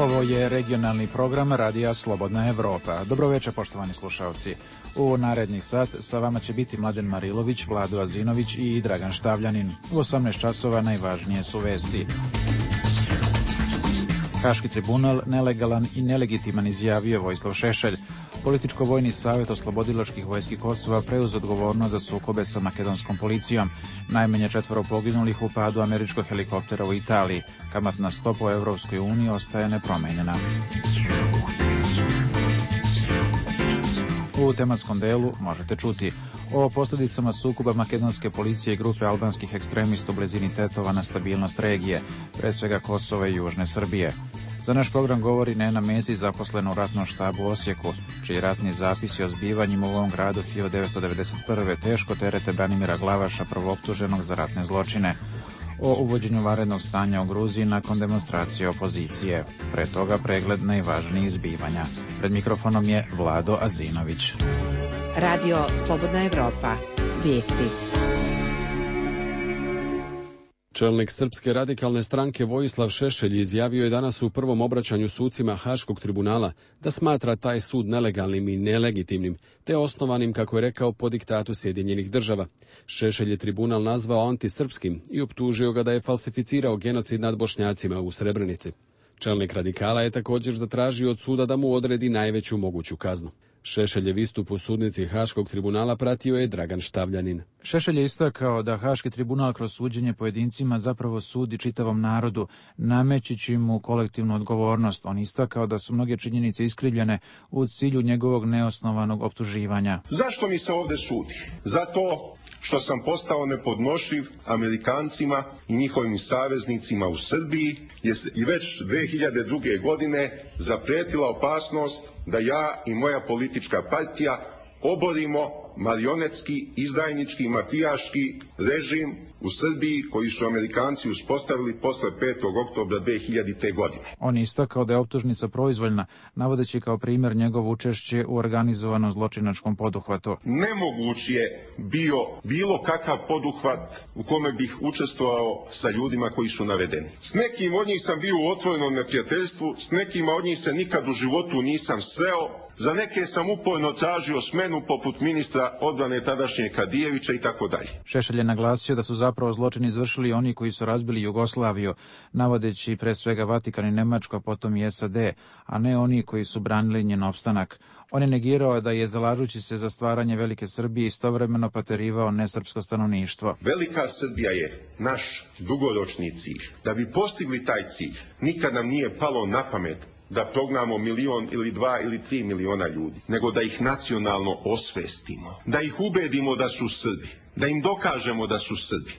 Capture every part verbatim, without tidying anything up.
Ovo je regionalni program Radija Slobodna Evropa. Dobro večer, poštovani slušalci. U narednih sat sa vama će biti Mladen Marilović, Vlado Azinović i Dragan Štavljanin. U osamnaest časova najvažnije su vesti. Haški tribunal nelegalan i nelegitiman, izjavio Vojislav Šešelj. Političko-vojni savjet oslobodilačkih vojski Kosova preuzeo odgovornost za sukobe sa makedonskom policijom. Najmanje četvoro poginulih u padu američkog helikoptera u Italiji. Kamatna stopa u Evropskoj uniji ostaje nepromenjena. U tematskom delu možete čuti o posljedicama sukoba makedonske policije i grupe albanskih ekstremista u blizini Tetova na stabilnost regije, pre svega Kosova i Južne Srbije. Za naš program govori Nena Mesić, zaposlena u ratnom štabu u Osijeku, čiji ratni zapisi o zbivanjima u ovom gradu hiljadu devetsto devedeset prve teško terete Branimira Glavaša, prvooptuženog za ratne zločine. O uvođenju vanrednog stanja u Gruziji nakon demonstracije opozicije. Pre toga pregled najvažnijih zbivanja. Pred mikrofonom je Vlado Azinović. Radio Slobodna Evropa. Vijesti. Čelnik Srpske radikalne stranke Vojislav Šešelj izjavio je danas u prvom obraćanju sucima Haškog tribunala da smatra taj sud nelegalnim i nelegitimnim, te osnovanim, kako je rekao, po diktatu Sjedinjenih država. Šešelj je tribunal nazvao antisrpskim i optužio ga da je falsificirao genocid nad Bošnjacima u Srebrenici. Čelnik radikala je također zatražio od suda da mu odredi najveću moguću kaznu. Šešeljev istup u sudnici Haškog tribunala pratio je Dragan Štavljanin. Šešelj je istakao da Haški tribunal kroz suđenje pojedincima zapravo sudi čitavom narodu, namećući mu kolektivnu odgovornost. On istakao da su mnoge činjenice iskrivljene u cilju njegovog neosnovanog optuživanja. Zašto mi se ovdje sudi? Zato što sam postao nepodnošljiv Amerikancima i njihovim saveznicima u Srbiji, jer i već dve hiljade druge. godine zaprijetila opasnost da ja i moja politička partija oborimo marionetski, izdajnički, mafijaški režim u Srbiji koji su Amerikanci uspostavili posle petog oktobra dve hiljadite. godine. On je istakao da je optužnica proizvoljna, navodeći kao primjer njegovo učešće u organizovanom zločinačkom poduhvatu. Nemoguć je bio bilo kakav poduhvat u kome bih učestvovao sa ljudima koji su navedeni. S nekim od njih sam bio u otvorenom neprijateljstvu, s nekima od njih se nikad u životu nisam sreo, za neke sam uporno tražio smenu poput ministra odbrane tadašnje Kadijevića i tako dalje. Šešelj je naglasio da su zapravo zločin izvršili oni koji su razbili Jugoslaviju, navodeći pre svega Vatikan i Nemačku, a potom i S A D, a ne oni koji su branili njen opstanak. On je negirao da je, zalažući se za stvaranje Velike Srbije, istovremeno paterivao nesrpsko stanovništvo. Velika Srbija je naš dugoročni cilj. Da bi postigli taj cilj, nikad nam nije palo na pamet da prognamo milion ili dva ili tri miliona ljudi, nego da ih nacionalno osvestimo, da ih ubedimo da su Srbi, da im dokažemo da su Srbi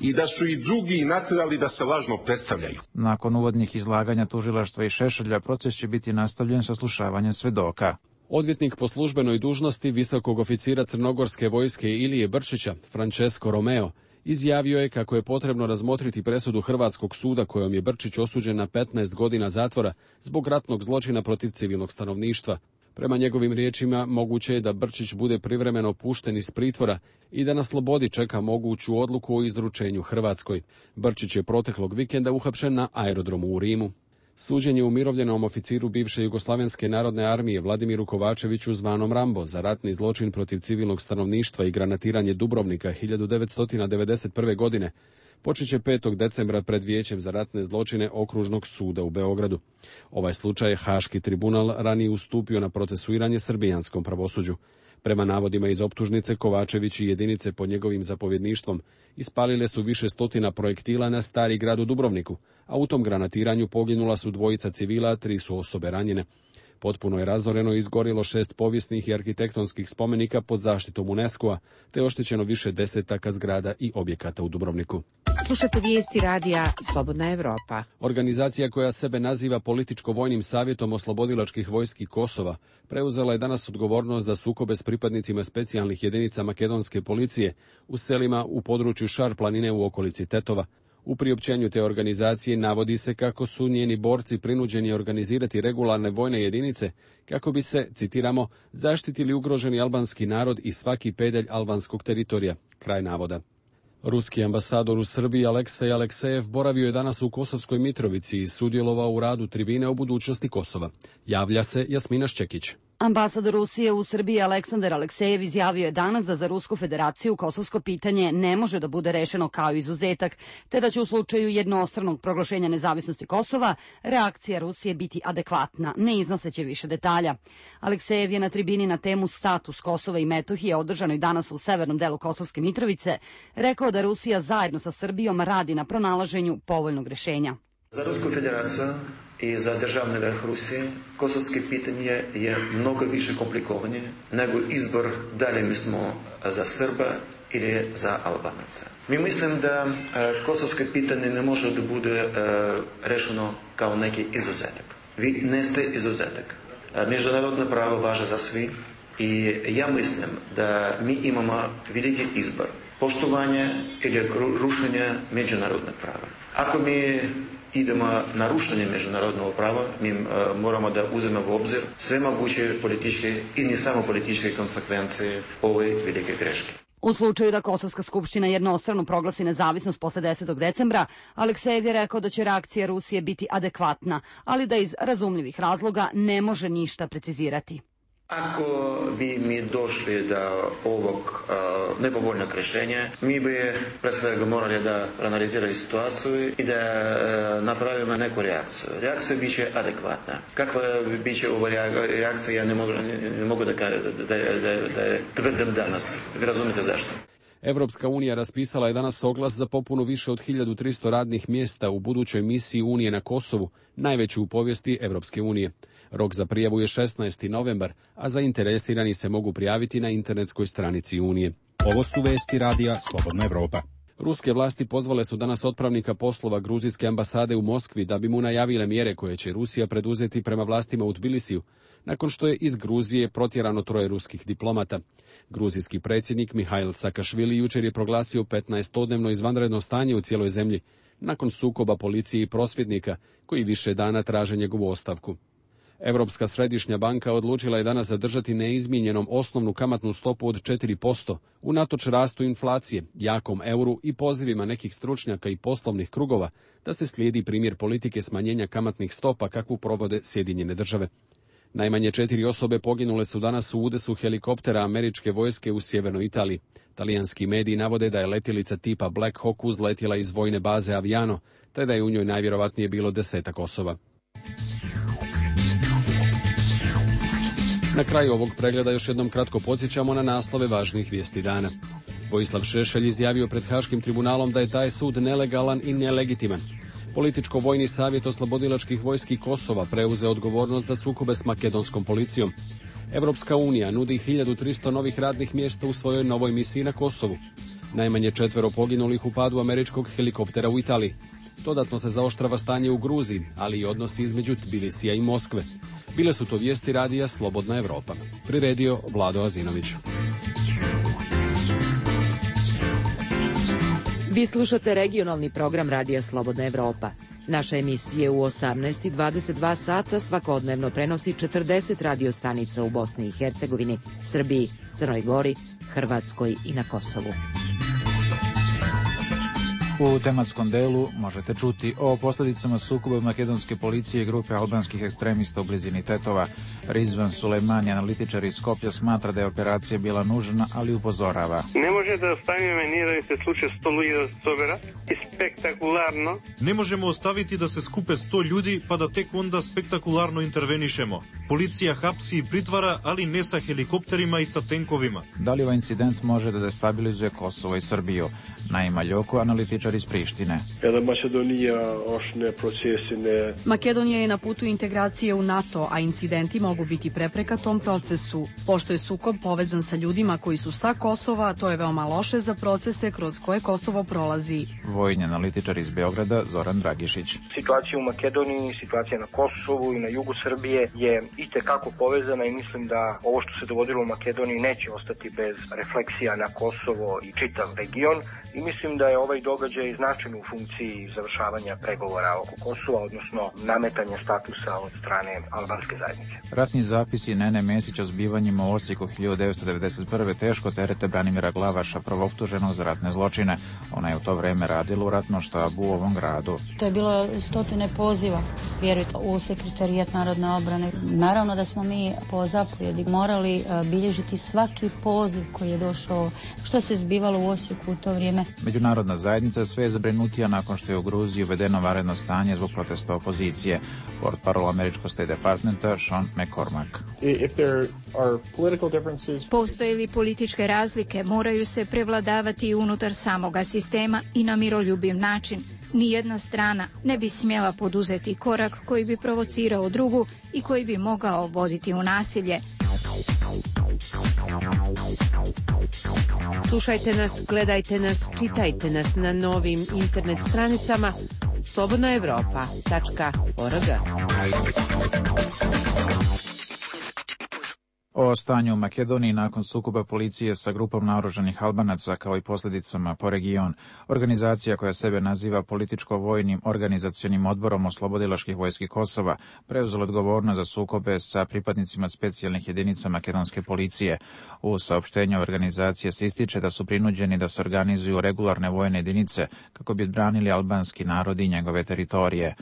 i da su i drugi natjerali da se lažno predstavljaju. Nakon uvodnih izlaganja tužilaštva i Šešelja, proces će biti nastavljen sa slušavanjem svedoka. Odvjetnik po službenoj dužnosti visokog oficira crnogorske vojske Ilije Brčića, Francesco Romeo, izjavio je kako je potrebno razmotriti presudu Hrvatskog suda kojom je Brčić osuđen na petnaest godina zatvora zbog ratnog zločina protiv civilnog stanovništva. Prema njegovim riječima, moguće je da Brčić bude privremeno pušten iz pritvora i da na slobodi čeka moguću odluku o izručenju Hrvatskoj. Brčić je proteklog vikenda uhapšen na aerodromu u Rimu. Suđenje umirovljenom oficiru bivše Jugoslavenske narodne armije Vladimiru Kovačeviću zvanom Rambo za ratni zločin protiv civilnog stanovništva i granatiranje Dubrovnika hiljadu devetsto devedeset prve. godine počet će petog decembra pred Vijećem za ratne zločine Okružnog suda u Beogradu. Ovaj slučaj je Haški tribunal ranije ustupio na procesuiranje srbijanskom pravosuđu. Prema navodima iz optužnice, Kovačević i jedinice pod njegovim zapovjedništvom ispalile su više stotina projektila na Stari grad u Dubrovniku, a u tom granatiranju poginula su dvojica civila, a tri su osobe ranjene. Potpuno je razoreno i izgorilo šest povijesnih i arhitektonskih spomenika pod zaštitom UNESCO-a, te oštećeno više desetaka zgrada i objekata u Dubrovniku. Slušate vijesti radija Slobodna Evropa. Organizacija koja sebe naziva Političko-vojnim savjetom oslobodilačkih vojski Kosova preuzela je danas odgovornost za sukobe s pripadnicima specijalnih jedinica makedonske policije u selima u području Šar planine u okolici Tetova. U priopćenju te organizacije navodi se kako su njeni borci prinuđeni organizirati regularne vojne jedinice kako bi se, citiramo, zaštitili ugroženi albanski narod i svaki pedalj albanskog teritorija. Kraj navoda. Ruski ambasador u Srbiji Aleksej Aleksejev boravio je danas u Kosovskoj Mitrovici i sudjelovao u radu tribine o budućnosti Kosova. Javlja se Jasmina Šćekić. Ambasador Rusije u Srbiji Aleksandar Aleksejev izjavio je danas da za Rusku federaciju kosovsko pitanje ne može da bude rešeno kao izuzetak, te da će u slučaju jednostranog proglašenja nezavisnosti Kosova reakcija Rusije biti adekvatna, ne iznoseće više detalja. Aleksejev je na tribini na temu status Kosova i Metohije, održanoj danas u severnom delu Kosovske Mitrovice, rekao da Rusija zajedno sa Srbijom radi na pronalaženju povoljnog rešenja. Za Rusku federaciju i za državni vrh Rusije kosovsko pitanje je mnogo više komplikovanje nego izbor da li mi smo za Srba ili za Albanaca. Mi mislim da kosovsko pitanje ne može da bude rešeno kao neki izuzetak. Vi neste izuzetak. Međunarodno pravo važe za svi i ja mislim da mi imamo veliki izbor. Poštovanje ili rušenje međunarodnog prava. Ako mi idemo na rušenje međunarodnog prava, mi uh, moramo da uzmemo u obzir sve moguće političke i ne samo političke konsekvencije ove velike greške. U slučaju da Kosovska skupština jednostrano proglasi nezavisnost posle desetog decembra, Aleksejev je rekao da će reakcija Rusije biti adekvatna, ali da iz razumljivih razloga ne može ništa precizirati. Ako bi mi došli do ovog uh, nepovoljnog rješenja, mi bi pre svega morali da analizirali situaciju i da uh, napravimo neku reakciju. Reakcija biće adekvatna. Kakva biće ova reakcija, ja ne mogu, ne mogu da, da, da, da, da tvrdim danas. Vi razumite zašto? Evropska unija raspisala je danas oglas za popunu više od hiljadu tristo radnih mjesta u budućoj misiji Unije na Kosovu, najveću u povijesti Evropske unije. Rok za prijavu je šesnaesti novembar, a zainteresirani se mogu prijaviti na internetskoj stranici Unije. Ovo su vesti radija Slobodna Evropa. Ruske vlasti pozvale su danas otpravnika poslova gruzijske ambasade u Moskvi da bi mu najavile mjere koje će Rusija preduzeti prema vlastima u Tbilisiju, nakon što je iz Gruzije protjerano troje ruskih diplomata. Gruzijski predsjednik Mihail Sakašvili jučer je proglasio petnaestodnevno izvanredno stanje u cijeloj zemlji, nakon sukoba policije i prosvjednika, koji više dana traže njegovu ostavku. Europska središnja banka odlučila je danas zadržati neizmijenjenom osnovnu kamatnu stopu od četiri posto, unatoč rastu inflacije, jakom euru i pozivima nekih stručnjaka i poslovnih krugova da se slijedi primjer politike smanjenja kamatnih stopa kakvu provode Sjedinjene države. Najmanje četiri osobe poginule su danas u udesu helikoptera američke vojske u sjevernoj Italiji. Talijanski mediji navode da je letjelica tipa Black Hawk uzletjela iz vojne baze Aviano, te da je u njoj najvjerovatnije bilo desetak osoba. Na kraju ovog pregleda još jednom kratko podsjećamo na naslove važnih vijesti dana. Vojislav Šešelj izjavio pred Haškim tribunalom da je taj sud nelegalan i nelegitiman. Političko-vojni savjet oslobodilačkih vojski Kosova preuzeo odgovornost za sukobe s makedonskom policijom. Evropska unija nudi hiljadu tristo novih radnih mjesta u svojoj novoj misiji na Kosovu. Najmanje četvero poginulih u padu američkog helikoptera u Italiji. Dodatno se zaoštrava stanje u Gruziji, ali i odnosi između Tbilisija i Moskve. Bile su to vijesti radija Slobodna Evropa. Priredio Vlado Azinović. Vi slušate regionalni program radija Slobodna Evropa. Naša emisija u osamnaest i dvadeset dva sata svakodnevno prenosi četrdeset radio stanica u Bosni i Hercegovini, Srbiji, Crnoj Gori, Hrvatskoj i na Kosovu. U tematskom delu možete čuti o posljedicama sukoba makedonske policije i grupe albanskih ekstremista u blizini Tetova. Rizvan Sulejmani, analitičar iz Skoplja, smatra da je operacija bila nužna, ali upozorava. Ne može da ostavimo meniraju se slučaj sto ljudi sobera i spektakularno. Ne možemo ostaviti da se skupe sto ljudi pa da tek onda spektakularno intervenišemo. Policija hapsi i pritvara, ali ne sa helikopterima i sa tenkovima. Da li ovaj incident može da destabilizuje Kosovo i Srbiju? Naima Ljoko, analitičar iz Prištine. Makedonija je na putu integracije u NATO, a incidenti mogu biti prepreka tom procesu. Pošto je sukob povezan sa ljudima koji su sa Kosova, to je veoma loše za procese kroz koje Kosovo prolazi. vojni analitičar iz Beograda Zoran Dragišić. Situacija u Makedoniji, situacija na Kosovu i na jugu Srbije je itekako povezana i mislim da ovo što se dogodilo u Makedoniji neće ostati bez refleksija na Kosovo i čitav region i mislim da je ovaj događaj značajan u funkciji završavanja pregovora oko Kosova, odnosno nametanja statusa od strane albanske zajednice. Ratni zapisi Nene Mesić o zbivanjima u Osijeku hiljadu devetsto devedeset prve teško terete Branimira Glavaša, prvoptuženog za ratne zločine. Ona je u to vreme radila u ratnom štabu u ovom gradu. To je bilo stotine poziva, vjerujte, u sekretarijat narodne obrane. Naravno da smo mi po zapovjedi morali bilježiti svaki poziv koji je došao, što se zbivalo u Osijeku u to vrijeme. Međunarodna zajednica sve je zabrinutija nakon što je u Gruziji uvedeno vanredno stanje zbog protesta opozicije. Portparol američkog State Departmenta Sean McCormack. Postoje li političke razlike, moraju se prevladavati unutar samoga sistema i na miroljubiv način. Nijedna strana ne bi smjela poduzeti korak koji bi provocirao drugu i koji bi mogao voditi u nasilje. Slušajte nas, gledajte nas, čitajte nas na novim internet stranicama slobodna evropa tačka org. O stanju u Makedoniji nakon sukoba policije sa grupom naoružanih Albanaca kao i posljedicama po region. Organizacija koja sebe naziva političko-vojnim organizacionim odborom oslobodilačkih vojski Kosova preuzela odgovornost za sukobe sa pripadnicima specijalnih jedinica makedonske policije. U saopštenju organizacije se ističe da su prinuđeni da se organizuju regularne vojne jedinice kako bi odbranili albanski narod i njegove teritorije.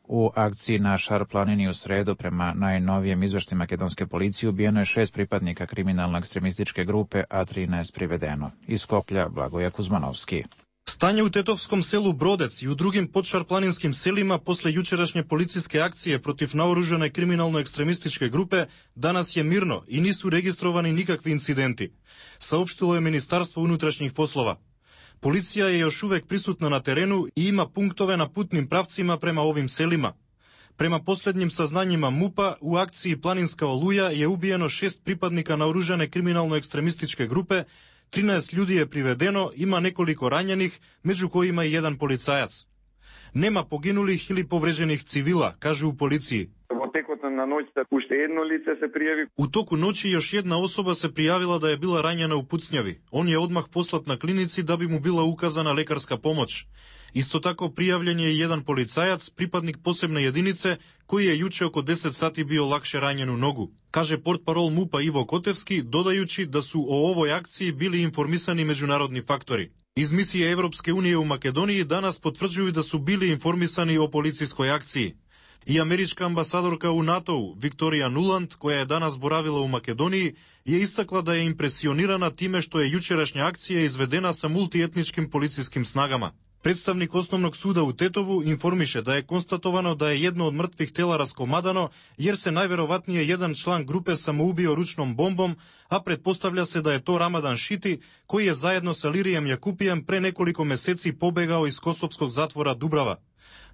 U akciji na Šar planini u sredu prema najnovijem izveštaju makedonske policije ubijeno je šest pripadnika kriminalno ekstremističke grupe, a trinaest privedeno. Iz Skoplja Blagoje Kuzmanovski. Stanje u tetovskom selu Brodec i u drugim podšarplaninskim selima posle jučerašnje policijske akcije protiv naoružane kriminalno-ekstremističke grupe danas je mirno i nisu registrovani nikakvi incidenti, saopštilo je Ministarstvo unutrašnjih poslova. Policija je još uvek prisutna na terenu i ima punktove na putnim pravcima prema ovim selima. Prema posljednjim saznanjima MUP-a, u akciji Planinska oluja je ubijeno šest pripadnika naoružane kriminalno-ekstremističke grupe, trinaest ljudi je privedeno, ima nekoliko ranjenih, među kojima i jedan policajac. Nema poginulih ili povređenih civila, kažu u policiji. U toku noći još jedna osoba se prijavila da je bila ranjena u pucnjavi. On je odmah poslat na klinici da bi mu bila ukazana lekarska pomoć. Isto tako prijavljen je i jedan policajac, pripadnik posebne jedinice, koji je juče oko deset sati bio lakše ranjen u nogu. Kaže portparol MUP-a Ivo Kotevski, dodajući da su o ovoj akciji bili informisani međunarodni faktori. Iz misije Evropske unije u Makedoniji danas potvrđuju da su bili informisani o policijskoj akciji. I američka ambasadorka u NATO-u, Viktorija Nuland, koja je danas boravila u Makedoniji, je istakla da je impresionirana time što je jučerašnja akcija izvedena sa multietničkim policijskim snagama. Predstavnik osnovnog suda u Tetovu informiše da je konstatovano da je jedno od mrtvih tela raskomadano, jer se najverovatnije jedan član grupe samoubio ručnom bombom, a pretpostavlja se da je to Ramadan Šiti, koji je zajedno sa Lirijem Jakupijem pre nekoliko meseci pobegao iz kosovskog zatvora Dubrava.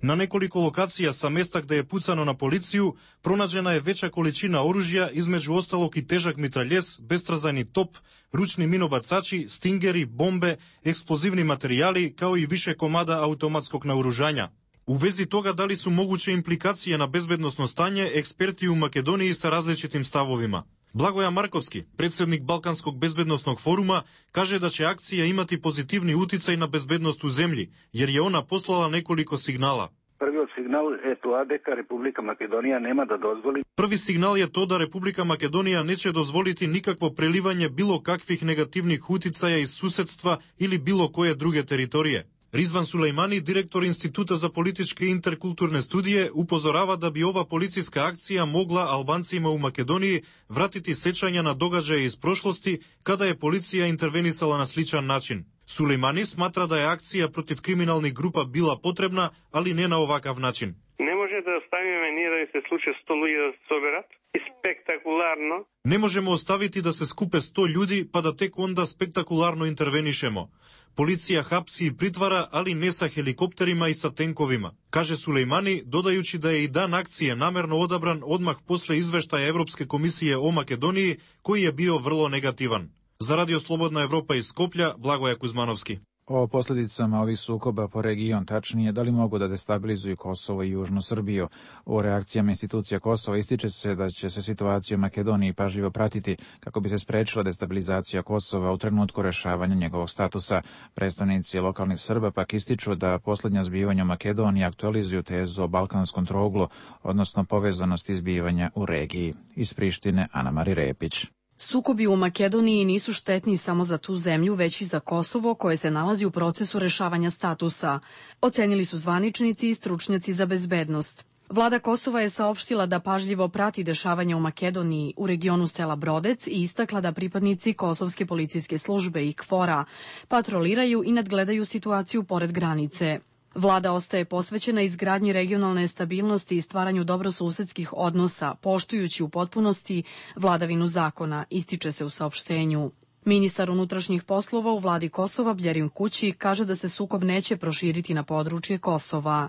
Na nekoliko lokacija sa mesta gde je pucano na policiju pronađena je veća količina oružja, između ostalog i težak mitraljes, bestrazajni top, ručni minobacači, stingeri, bombe, eksplozivni materijali, kao i više komada automatskog naoružanja. U vezi toga da li su moguće implikacije na bezbednosno stanje, eksperti u Makedoniji sa različitim stavovima. Blagoja Markovski, predsjednik Balkanskog bezbednosnog foruma, kaže da će akcija imati pozitivni uticaj na bezbednost u zemlji, jer je ona poslala nekoliko signala. Prvi signal je to da Republika Makedonija nema da dozvoli. Prvi signal je to da Republika Makedonija neće dozvoliti nikakvo prelivanje bilo kakvih negativnih uticaja iz susedstva ili bilo koje druge teritorije. Rizvan Sulejmani, direktor Instituta za političke i interkulturne studije, upozorava da bi ova policijska akcija mogla Albancima u Makedoniji vratiti sećanja na događaje iz prošlosti kada je policija intervenisala na sličan način. Sulejmani smatra da je akcija protiv kriminalnih grupa bila potrebna, ali ne na ovakav način. Ne može da ostavimo ni da se slučaj sto ljudi da soberat i spektakularno. Ne možemo ostaviti da se skupe sto ljudi pa da tek onda spektakularno intervenišemo. Policija hapsi i pritvara, ali ne sa helikopterima i sa tenkovima, kaže Sulejmani, dodajući da je i dan akcije namerno odabran odmah posle izveštaja Evropske komisije o Makedoniji, koji je bio vrlo negativan. Za Radio Slobodna Evropa iz Skoplja, Blagoje Kuzmanovski. O posljedicama ovih sukoba po region, tačnije da li mogu da destabilizuju Kosovo i Južnu Srbiju. U reakcijama institucija Kosova ističe se da će se situacija u Makedoniji pažljivo pratiti kako bi se sprečila destabilizacija Kosova u trenutku rešavanja njegovog statusa. Predstavnici lokalnih Srba pak ističu da posljednja zbivanja u Makedoniji aktualizuju tezu o balkanskom trouglu, odnosno povezanosti zbivanja u regiji. Iz Prištine, Ana Mari Repić. Sukobi u Makedoniji nisu štetni samo za tu zemlju, već i za Kosovo, koje se nalazi u procesu rešavanja statusa, ocenili su zvaničnici i stručnjaci za bezbednost. Vlada Kosova je saopštila da pažljivo prati dešavanja u Makedoniji, u regionu sela Brodec i istakla da pripadnici Kosovske policijske službe i KFOR-a patroliraju i nadgledaju situaciju pored granice. Vlada ostaje posvećena izgradnji regionalne stabilnosti i stvaranju dobrosusedskih odnosa, poštujući u potpunosti vladavinu zakona, ističe se u saopštenju. Ministar unutrašnjih poslova u vladi Kosova, Bljerin Kući, kaže da se sukob neće proširiti na područje Kosova.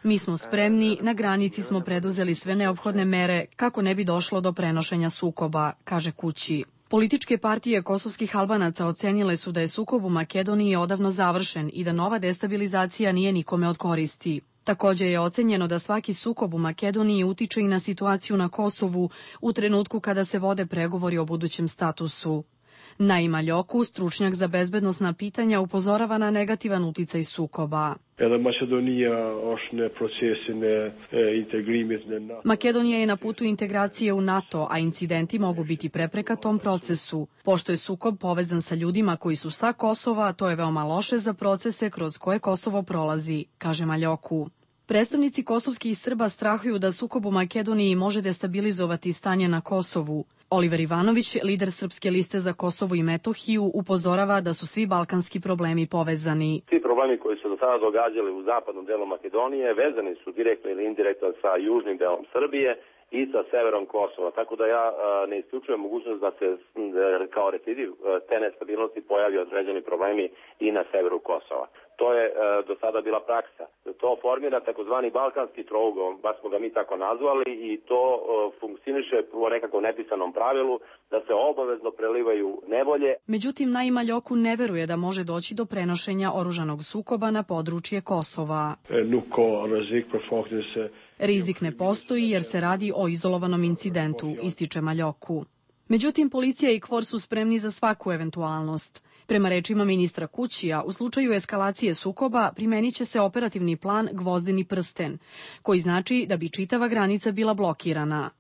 Mi smo spremni, na granici smo preduzeli sve neophodne mere kako ne bi došlo do prenošenja sukoba, kaže Kući. Političke partije kosovskih Albanaca ocenile su da je sukob u Makedoniji odavno završen i da nova destabilizacija nije nikome od koristi. Također je ocenjeno da svaki sukob u Makedoniji utiče i na situaciju na Kosovu u trenutku kada se vode pregovori o budućem statusu. Naima Ljoku, stručnjak za bezbednosna pitanja, upozorava na negativan uticaj sukoba. Makedonija je na putu integracije u NATO, a incidenti mogu biti prepreka tom procesu. Pošto je sukob povezan sa ljudima koji su sa Kosova, to je veoma loše za procese kroz koje Kosovo prolazi, kaže Maljoku. Predstavnici kosovskih Srba strahuju da sukob u Makedoniji može destabilizovati stanje na Kosovu. Oliver Ivanović, lider Srpske liste za Kosovo i Metohiju, upozorava da su svi balkanski problemi povezani. Svi problemi koji su do sada događali u zapadnom delu Makedonije vezani su direktno ili indirektno sa južnim delom Srbije i sa severom Kosova. Tako da ja ne isključujem mogućnost da se kao recidiv te nestabilnosti pojavi određeni problemi i na severu Kosova. To je do sada bila praksa. To formira takozvani balkanski trougao, baš smo ga mi tako nazvali, i to funkcioniše po nekakvom nepisanom pravilu da se obavezno prelivaju nevolje. Međutim, Naima Ljoku ne veruje da može doći do prenošenja oružanog sukoba na područje Kosova. Rizik ne postoji jer se radi o izolovanom incidentu, ističe Maljoku. Međutim, policija i KFOR su spremni za svaku eventualnost. Prema rečima ministra Kućija, u slučaju eskalacije sukoba primenit će se operativni plan Gvozdeni prsten, koji znači da bi čitava granica bila blokirana.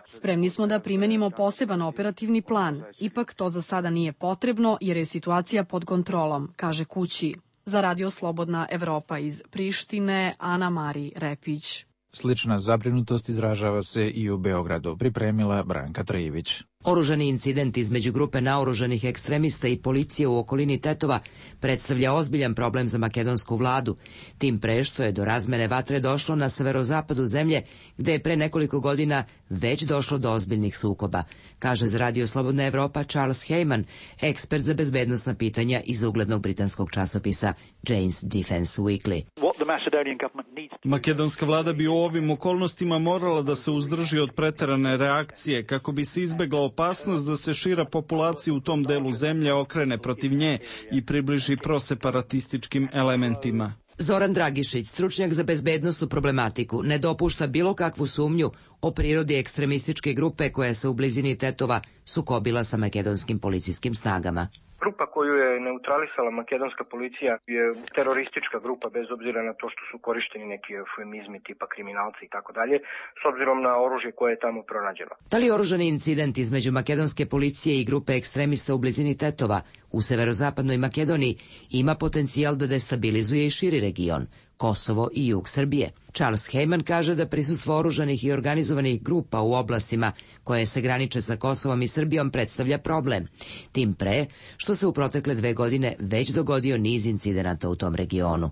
Spremni smo da primenimo poseban operativni plan, ipak to za sada nije potrebno jer je situacija pod kontrolom, kaže Kući. Za Radio Slobodna Evropa iz Prištine, Ana Mari Repić. Slična zabrinutost izražava se i u Beogradu, pripremila Branka Trijević. Oružani incident između grupe naoružanih ekstremista i policije u okolini Tetova predstavlja ozbiljan problem za makedonsku vladu, tim pre što je do razmene vatre došlo na severozapadu zemlje, gde je pre nekoliko godina već došlo do ozbiljnih sukoba, kaže za Radio Slobodna Evropa Charles Heyman, ekspert za bezbednosna pitanja iz uglednog britanskog časopisa Jane's Defense Weekly. Makedonska vlada bi u ovim okolnostima morala da se uzdrži od preterane reakcije kako bi se izbegla opasnost da se šira populacija u tom delu zemlje okrene protiv nje i približi proseparatističkim elementima. Zoran Dragišić, stručnjak za bezbednosnu problematiku, ne dopušta bilo kakvu sumnju o prirodi ekstremističke grupe koja se u blizini Tetova sukobila sa makedonskim policijskim snagama. Grupa koju je neutralisala makedonska policija je teroristička grupa, bez obzira na to što su korišteni neki eufemizmi tipa kriminalci i tako dalje, s obzirom na oružje koje je tamo pronađeno. Da li oružani incident između makedonske policije i grupe ekstremista u blizini Tetova u severozapadnoj Makedoniji ima potencijal da destabilizuje i širi region, Kosovo i jug Srbije? Charles Heyman kaže da prisustvo oružanih i organizovanih grupa u oblastima koje se graniče sa Kosovom i Srbijom predstavlja problem, tim pre što se u protekle dve godine već dogodio niz incidenata u tom regionu.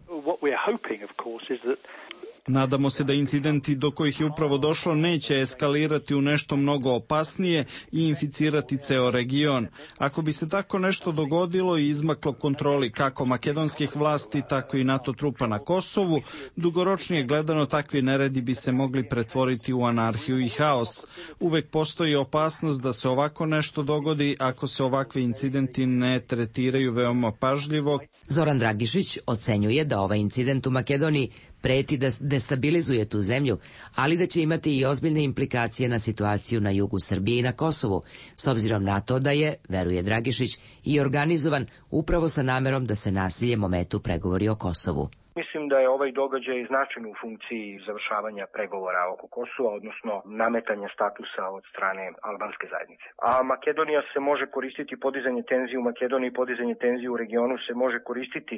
Nadamo se da incidenti do kojih je upravo došlo neće eskalirati u nešto mnogo opasnije i inficirati ceo region. Ako bi se tako nešto dogodilo i izmaklo kontroli kako makedonskih vlasti, tako i NATO trupa na Kosovu, dugoročnije gledano takvi neredi bi se mogli pretvoriti u anarhiju i haos. Uvek postoji opasnost da se ovako nešto dogodi ako se ovakvi incidenti ne tretiraju veoma pažljivo. Zoran Dragišić ocenjuje da ovaj incident u Makedoniji preti da destabilizuje tu zemlju, ali da će imati i ozbiljne implikacije na situaciju na jugu Srbije i na Kosovu, s obzirom na to da je, veruje Dragišić, i organizovan upravo sa namerom da se nasiljem ometu pregovori o Kosovu. Mislim da je ovaj događaj značajno u funkciji završavanja pregovora oko Kosova, odnosno nametanja statusa od strane albanske zajednice. A Makedonija se može koristiti, podizanje tenzije u Makedoniji, podizanje tenzije u regionu se može koristiti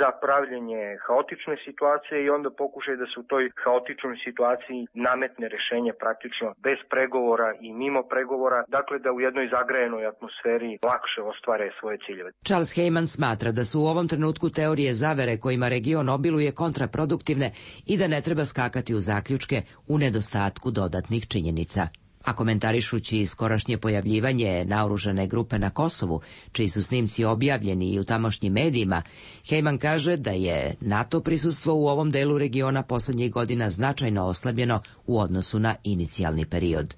za pravljenje haotične situacije i onda pokušaj da se u toj haotičnoj situaciji nametne rešenje praktično bez pregovora i mimo pregovora, dakle da u jednoj zagrajenoj atmosferi lakše ostvare svoje ciljeve. Charles Heyman smatra da su u ovom trenutku teorije zavere kojima region obiluje kontraproduktivne i da ne treba skakati u zaključke u nedostatku dodatnih činjenica. A komentarišući skorašnje pojavljivanje naoružane grupe na Kosovu, čiji su snimci objavljeni i u tamošnjim medijima, Heyman kaže da je NATO prisustvo u ovom delu regiona poslednjih godina značajno oslabljeno u odnosu na inicijalni period.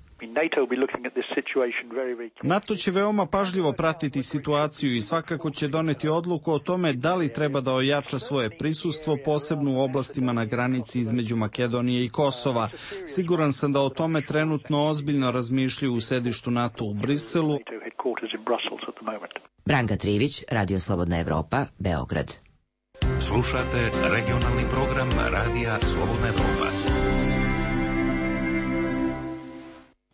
NATO će veoma pažljivo pratiti situaciju i svakako će doneti odluku o tome da li treba da ojača svoje prisustvo, posebno u oblastima na granici između Makedonije i Kosova. Siguran sam da o tome trenutno ozbiljno razmišljaju u sedištu NATO u Briselu. Branka Trivić, Radio Slobodna Evropa, Beograd. Slušate regionalni program Radija Slobodna Evropa.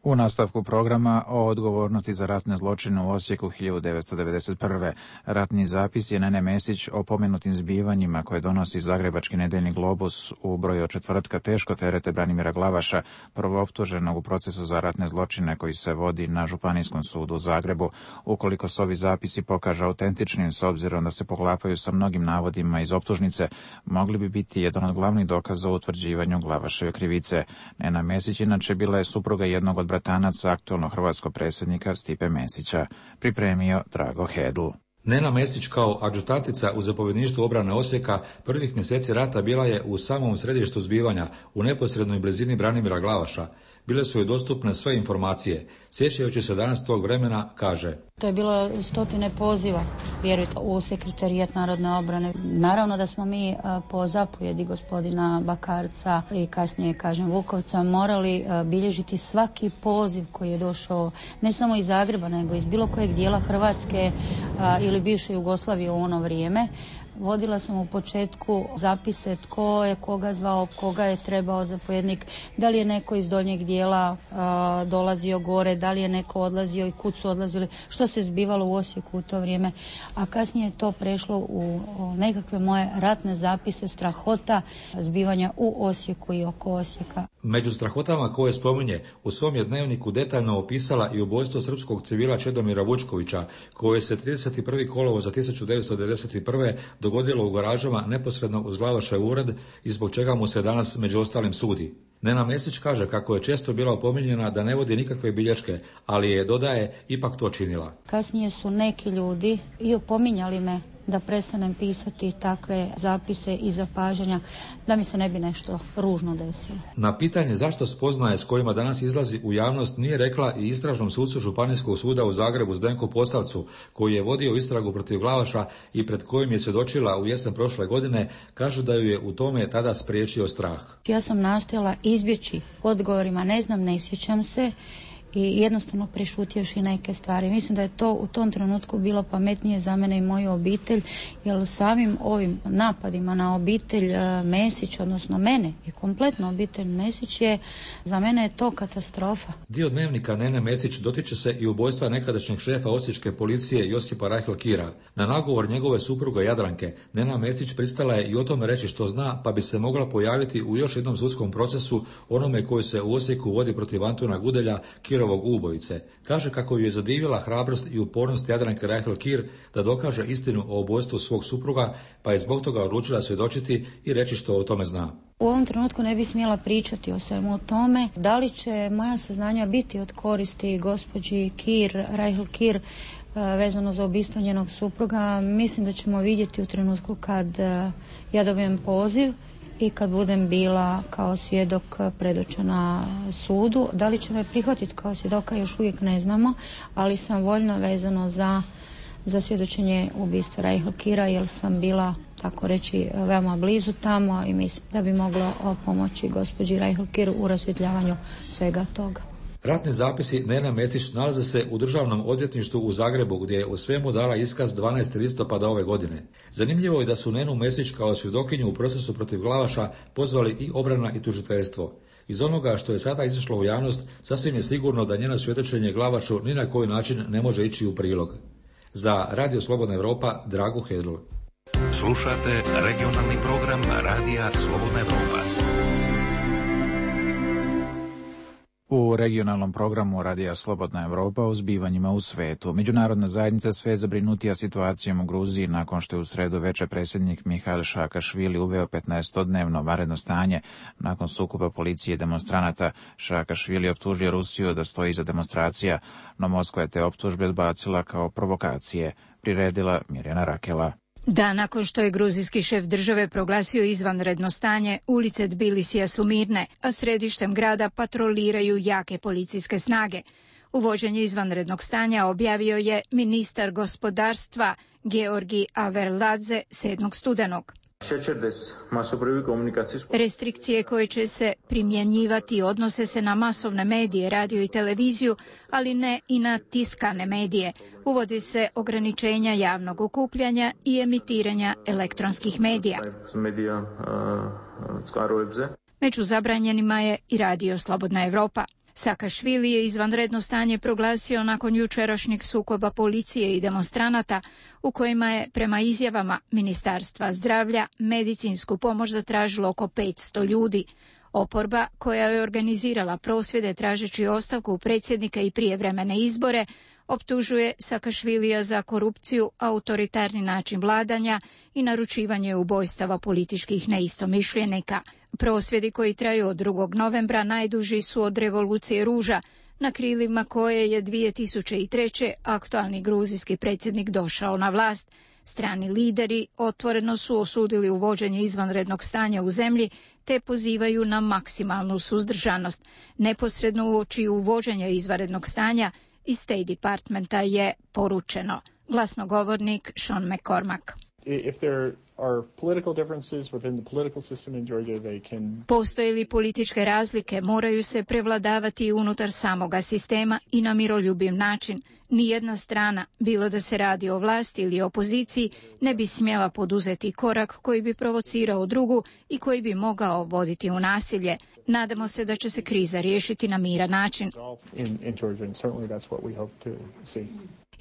U nastavku programa o odgovornosti za ratne zločine u Osijeku hiljadu devetsto devedeset prve. Ratni zapis je Nene Mesić o pomenutim zbivanjima koje donosi Zagrebački nedeljni Globus u broju od četvrtka teško terete Branimira Glavaša, prvooptuženog u procesu za ratne zločine koji se vodi na Županijskom sudu u Zagrebu. Ukoliko se ovi zapisi pokaže autentičnim, s obzirom da se poklapaju sa mnogim navodima iz optužnice, mogli bi biti jedan od glavnih dokaza u utvrđivanju Glavaševe krivice. Nena Mesić inače bila je supruga jednog od bratanaca aktualnog hrvatskog predsjednika Stipe Mesića. Pripremio Drago Hedl. Nena Mesić kao adjutantica u zapovjedništvu obrane Osijeka prvih mjeseci rata bila je u samom središtu zbivanja, u neposrednoj blizini Branimira Glavaša. Bile su joj dostupne sve informacije. Sjećajući se danas tog vremena, kaže: To je bilo stotine poziva, vjerujte, u sekretarijat narodne obrane. Naravno da smo mi po zapovjedi gospodina Bakarca i kasnije, kažem, Vukovca, morali bilježiti svaki poziv koji je došao ne samo iz Zagreba, nego iz bilo kojeg dijela Hrvatske ili bivše Jugoslavije u ono vrijeme. Vodila sam u početku zapise tko je koga zvao, koga je trebao zapovjednik, da li je neko iz donjeg dijela a, dolazio gore, da li je neko odlazio i kud su odlazili, što se zbivalo u Osijeku u to vrijeme. A kasnije je to prešlo u, u nekakve moje ratne zapise strahota zbivanja u Osijeku i oko Osijeka. Među strahotama koje spominje, u svom je dnevniku detaljno opisala i ubojstvo srpskog civila Čedomira Vučkovića, koje se trideset prvi kolovoza tisuću devetsto devedeset prve dogodilo u garažama neposredno uz Glavašev ured i zbog čega mu se danas među ostalim sudi. Nena Mesić kaže kako je često bila opominjena da ne vodi nikakve bilješke, ali je, dodaje, ipak to činila. Kasnije su neki ljudi i opominjali me da prestanem pisati takve zapise i zapažanja, da mi se ne bi nešto ružno desilo. Na pitanje zašto spoznaje s kojima danas izlazi u javnost nije rekla i istražnom sucu Županijskog suda u Zagrebu Zdenku Posavcu, koji je vodio istragu protiv Glavaša i pred kojim je svjedočila u jesen prošle godine, kaže da ju je u tome tada spriječio strah. Ja sam nastojala izbjeći odgovorima, ne znam, ne sjećam se, i jednostavno prešutjevši neke stvari. Mislim da je to u tom trenutku bilo pametnije za mene i moju obitelj, jer samim ovim napadima na obitelj Mesić, odnosno mene i kompletno obitelj Mesić, je za mene je to katastrofa. Dio dnevnika Nene Mesić dotiče se i ubojstva nekadašnjeg šefa osječke policije Josipa Rahel Kira. Na nagovor njegove supruge Jadranke, Nena Mesić pristala je i o tome reći što zna, pa bi se mogla pojaviti u još jednom sudskom procesu, onome koji se u Osijeku vodi protiv Antuna Gudelja, Kiro Kirovog ubojice. Kaže kako ju je zadivila hrabrost i upornost Jadranke Rahel Kir da dokaže istinu o ubojstvu svog supruga, pa je zbog toga odlučila svjedočiti i reći što o tome zna. U ovom trenutku ne bi smjela pričati o svemu o tome. Da li će moja saznanja biti od koristi gospođi Kir, Rahel Kir, vezano za ubistvo njenog supruga, mislim da ćemo vidjeti u trenutku kad ja dobijem poziv i kad budem bila kao svjedok predočena sudu. Da li će me prihvatiti kao svjedoka još uvijek ne znamo, ali sam voljna vezano za, za svjedočenje ubistva Rahel Kira, jer sam bila, tako reći, veoma blizu tamo i mislim da bi moglo pomoći gospođi Rahel Kir u rasvjetljavanju svega toga. Ratni zapisi Nena Mesić nalaze se u Državnom odvjetništvu u Zagrebu, gdje je u svemu dala iskaz dvanaestog listopada ove godine. Zanimljivo je da su Nenu Mesić kao svjedokinju u procesu protiv Glavaša pozvali i obrana i tužiteljstvo. Iz onoga što je sada izašlo u javnost, sasvim je sigurno da njeno svjedočenje Glavašu ni na koji način ne može ići u prilog. Za Radio Slobodna Evropa, Drago Hedl. Slušate regionalni program Radija Slobodna Evropa. U regionalnom programu Radija Slobodna Evropa o zbivanjima u svetu. Međunarodna zajednica sve zabrinutija situacijom u Gruziji nakon što je u sredu veče predsjednik Mihail Saakašvili uveo petnaestodnevno vanredno stanje nakon sukoba policije i demonstranata. Saakašvili optužio Rusiju da stoji iza demonstracija, no Moskva je te optužbe odbacila kao provokacije, priredila Mirjana Rakela. Da, nakon što je gruzijski šef države proglasio izvanredno stanje, ulice Tbilisija su mirne, a središtem grada patroliraju jake policijske snage. Uvođenje izvanrednog stanja objavio je ministar gospodarstva Georgi Averladze sedmog studenog. Restrikcije koje će se primjenjivati odnose se na masovne medije, radio i televiziju, ali ne i na tiskane medije. Uvodi se ograničenja javnog okupljanja i emitiranja elektronskih medija. Među zabranjenima je i Radio Slobodna Evropa. Saakašvili je izvanredno stanje proglasio nakon jučerašnjeg sukoba policije i demonstranata u kojima je prema izjavama Ministarstva zdravlja medicinsku pomoć zatražilo oko petsto ljudi. Oporba, koja je organizirala prosvjede tražeći ostavku predsjednika i prijevremene izbore, optužuje Saakašvilija za korupciju, autoritarni način vladanja i naručivanje ubojstava političkih neistomišljenika. Prosvjedi koji traju od drugog novembra najduži su od revolucije ruža, na krilima koje je dvije tisuće treće. aktualni gruzijski predsjednik došao na vlast. Strani lideri otvoreno su osudili uvođenje izvanrednog stanja u zemlji te pozivaju na maksimalnu suzdržanost. Neposredno uoči uvođenja izvanrednog stanja iz State Departmenta je poručeno. Glasnogovornik Sean McCormack. If there are political differences within the political system in Georgia, they can... Postoje li političke razlike, moraju se prevladavati unutar samoga sistema i na miroljubiv način. Nijedna strana, bilo da se radi o vlasti ili opoziciji, ne bi smjela poduzeti korak koji bi provocirao drugu i koji bi mogao voditi u nasilje. Nadamo se da će se kriza riješiti na miran način. In, in Georgia, and certainly that's what we hope to see.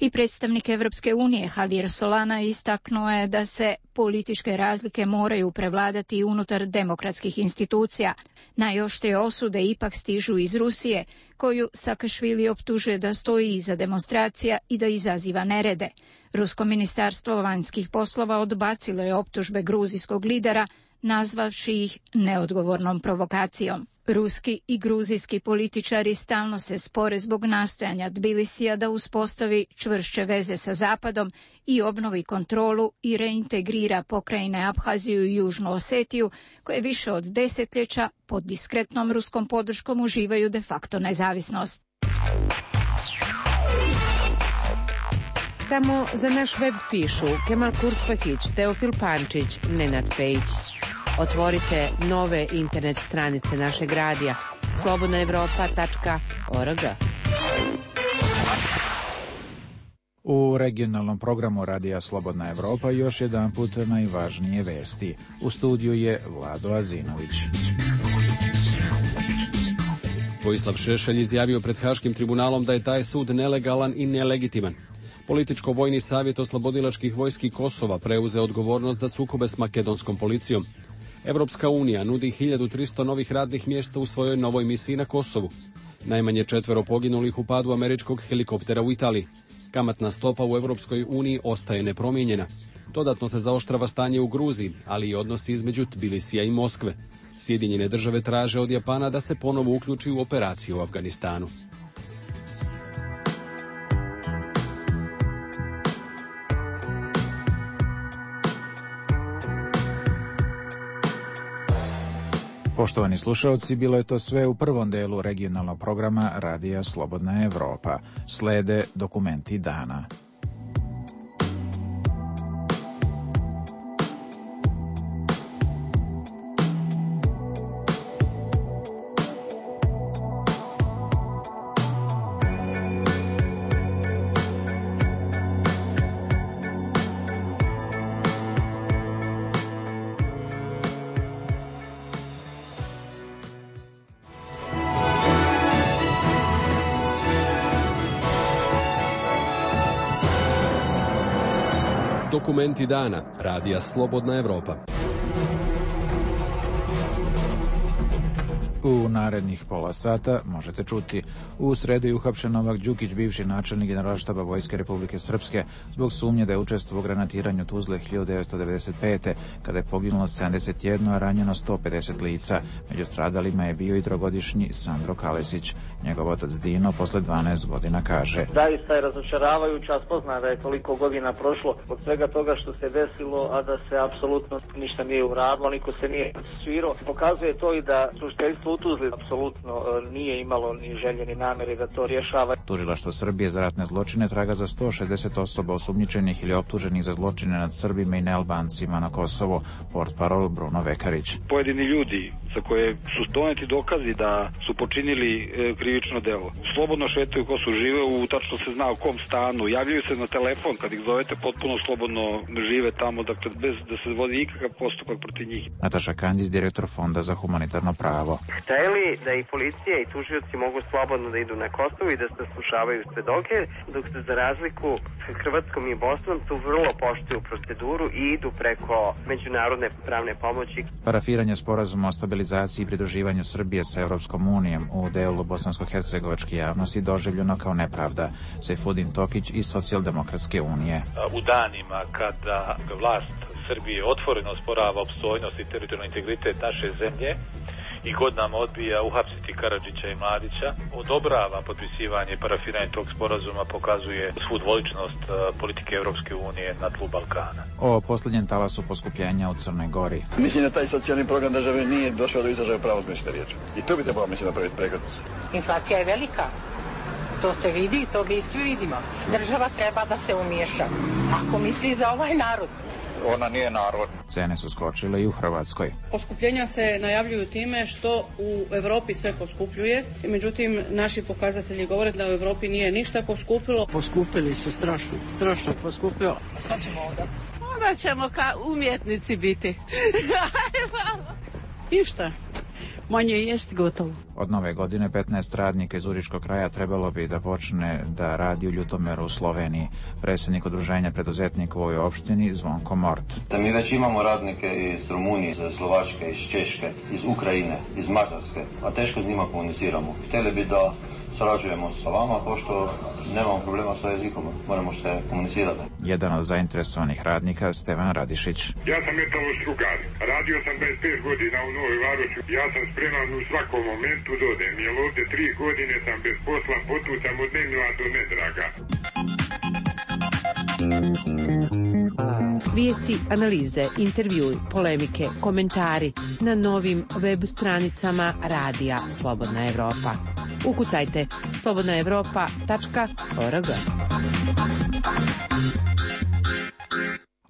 I predstavnik Evropske unije Javier Solana istaknuo je da se političke razlike moraju prevladati unutar demokratskih institucija. Najoštrije osude ipak stižu iz Rusije, koju Saakašvili optužuje da stoji iza demonstracija i da izaziva nerede. Rusko ministarstvo vanjskih poslova odbacilo je optužbe gruzijskog lidera, nazvavši ih neodgovornom provokacijom. Ruski i gruzijski političari stalno se spore zbog nastojanja Tbilisija da uspostavi čvršće veze sa Zapadom i obnovi kontrolu i reintegrira pokrajine Abhaziju i Južnu Osetiju, koje više od desetljeća pod diskretnom ruskom podrškom uživaju de facto nezavisnost. Samo za naš web pišu Kemal Kurspahić, Teofil Pančić, Nenad Pejić. Otvorite nove internet stranice našeg radija slobodna evropa tačka org. U regionalnom programu Radija Slobodna Evropa još jedan put najvažnije vesti. U studiju je Vlado Azinović. Vojislav Šešelj izjavio pred Haškim tribunalom da je taj sud nelegalan i nelegitiman. Političko-vojni savjet oslobodilačkih vojski Kosova preuzeo odgovornost za sukobe s makedonskom policijom. Evropska unija nudi hiljadu tristo novih radnih mjesta u svojoj novoj misiji na Kosovu. Najmanje četvero poginulih u padu američkog helikoptera u Italiji. Kamatna stopa u Europskoj uniji ostaje nepromijenjena. Dodatno se zaoštrava stanje u Gruziji, ali i odnosi između Tbilisija i Moskve. Sjedinjene države traže od Japana da se ponovo uključi u operaciju u Afganistanu. Poštovani slušalci, bilo je to sve u prvom delu regionalnog programa Radija Slobodna Evropa. Slede dokumenti dana. Dokumenti dana. Radija Slobodna Evropa. U narednih pola sata možete čuti: u sredu je uhapšen Novak Đukić, bivši načelnik Generalštaba Vojske Republike Srpske, zbog sumnje da je učestvovao u granatiranju Tuzle hiljadu devetsto devedeset pete. kada je poginulo sedamdeset jedno, a ranjeno sto pedeset lica. Među stradalima je bio i trogodišnji Sandro Kalesić. Njegov otac Dino posle dvanaest godina kaže: Zaista je razočaravajuća spoznaja da je toliko godina prošlo od svega toga što se desilo, a da se apsolutno ništa nije uradilo, niko se nije svirao. Pokazuje to i da tužiteljstvo u Tuzli apsolutno nije imalo ni želje ni namere da to rješava. Tužilaštvo Srbije za ratne zločine traga za sto šezdeset osoba osumnjičenih ili optuženih za zločine nad Srbima i nealbancima na Kosovo. Portparol Bruno Vekarić. Pojedini ljudi za koje su doneti dokazi da su počinili e, krivično delo slobodno šetaju ko su žive, u tačno se zna u kom stanu, javljaju se na telefon kad ih zovete, potpuno slobodno žive tamo, dakle bez da se vodi ikakav postupak protiv njih. Nataša Kandić, direktor Fonda za humanitarno pravo. Hteli da i policija i tužioci mogu slobodno da idu na Kosovo i da se slušavaju svedoke, dok se za razliku sa Hrvatskom i Bosnom tu vrlo poštuju proceduru i idu preko međunarodne pravne pomoći. Parafiranje sporazuma o stabilizaciji i pridruživanju Srbije sa Evropskom unijom u delu bosansko-hercegovačke javnosti doživljeno kao nepravda. Sejfudin Tokić iz Socijaldemokratske unije. U danima kada vlast Srbije otvoreno osporava opstojnost i teritorijalni integritet naše zemlje i godinama odbija uhapsiti Karadžića i Mladića, odobrava potpisivanje i parafiranje tog sporazuma, pokazuje svu dvoličnost politike Evropske unije na tlu Balkana. O posljednjem talasu poskupljenja u Crnoj Gori. Mislim da taj socijalni program države nije došao do izražaja pravo smisla riječi. I to bi trebalo, mislim, napraviti prekretnicu. Inflacija je velika. To se vidi, to mi svi vidimo. Država treba da se umiješa. Ako misli za ovaj narod. Ona nije narod. Cene su skočile i u Hrvatskoj. Poskupljenja se najavljuju time što u Europi sve poskupljuje. Međutim, naši pokazatelji govore da u Europi nije ništa poskupilo. Poskupili su strašno, strašno poskupilo. A šta ćemo onda? Onda ćemo kao umjetnici biti. Ništa. Manje jest gotovo. Od nove godine petnaest radnika iz Užičkog kraja trebalo bi da počne da radi u Ljutomeru u Sloveniji. Predsjednik udruženja preduzetnika u ovoj opštini Zvonko Mort. Da mi već imamo radnike iz Rumunije, iz Slovačke, iz Češke, iz Ukrajine, iz Mađarske, a teško s njima komuniciramo. Htjeli bi da sarađujemo sa vama, pošto nemamo problema sa jezikom, moramo se komunicirati. Jedan od zainteresovanih radnika, Stevan Radišić. Ja sam metalostrugar, radio sam dvadeset pet godina u Novoj Varoši, ja sam spreman u svakom momentu dodem, jer ovdje tri godine sam bez posla, potucam od nemila do nedraga. Vijesti, analize, intervjui, polemike, komentari na novim web stranicama Radija Slobodna Evropa. Ukucajte slobodna evropa tačka org.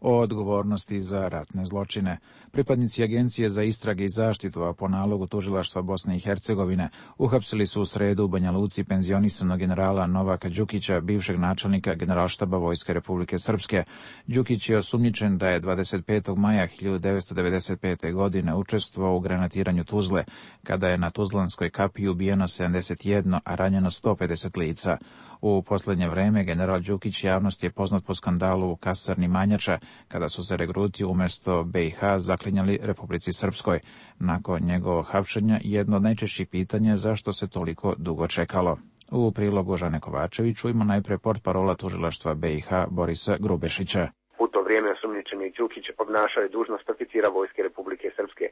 O odgovornosti za ratne zločine. Pripadnici Agencije za istrage i zaštitu, a po nalogu tužilaštva Bosne i Hercegovine, uhapsili su u sredu u Banja Luci penzionisanog generala Novaka Đukića, bivšeg načelnika Generalštaba Vojske Republike Srpske. Đukić je osumnjičen da je dvadeset petog maja hiljadu devetsto devedeset pete. godine učestvovao u granatiranju Tuzle, kada je na Tuzlanskoj kapiji ubijeno sedamdeset jedno, a ranjeno sto pedeset lica. U posljednje vreme general Đukić javnost je poznat po skandalu u kasarni Manjača, kada su se regruti umjesto B i H zaklinjali Republici Srpskoj. Nakon njegovog hapšenja jedno od najčešćih pitanja zašto se toliko dugo čekalo. U prilogu Žane Kovačević čujmo najpre portparola tužilaštva B i H Borisa Grubešića. U to vrijeme osumnjičeni Đukić obnašao je dužnost oficira Vojske Republike Srpske.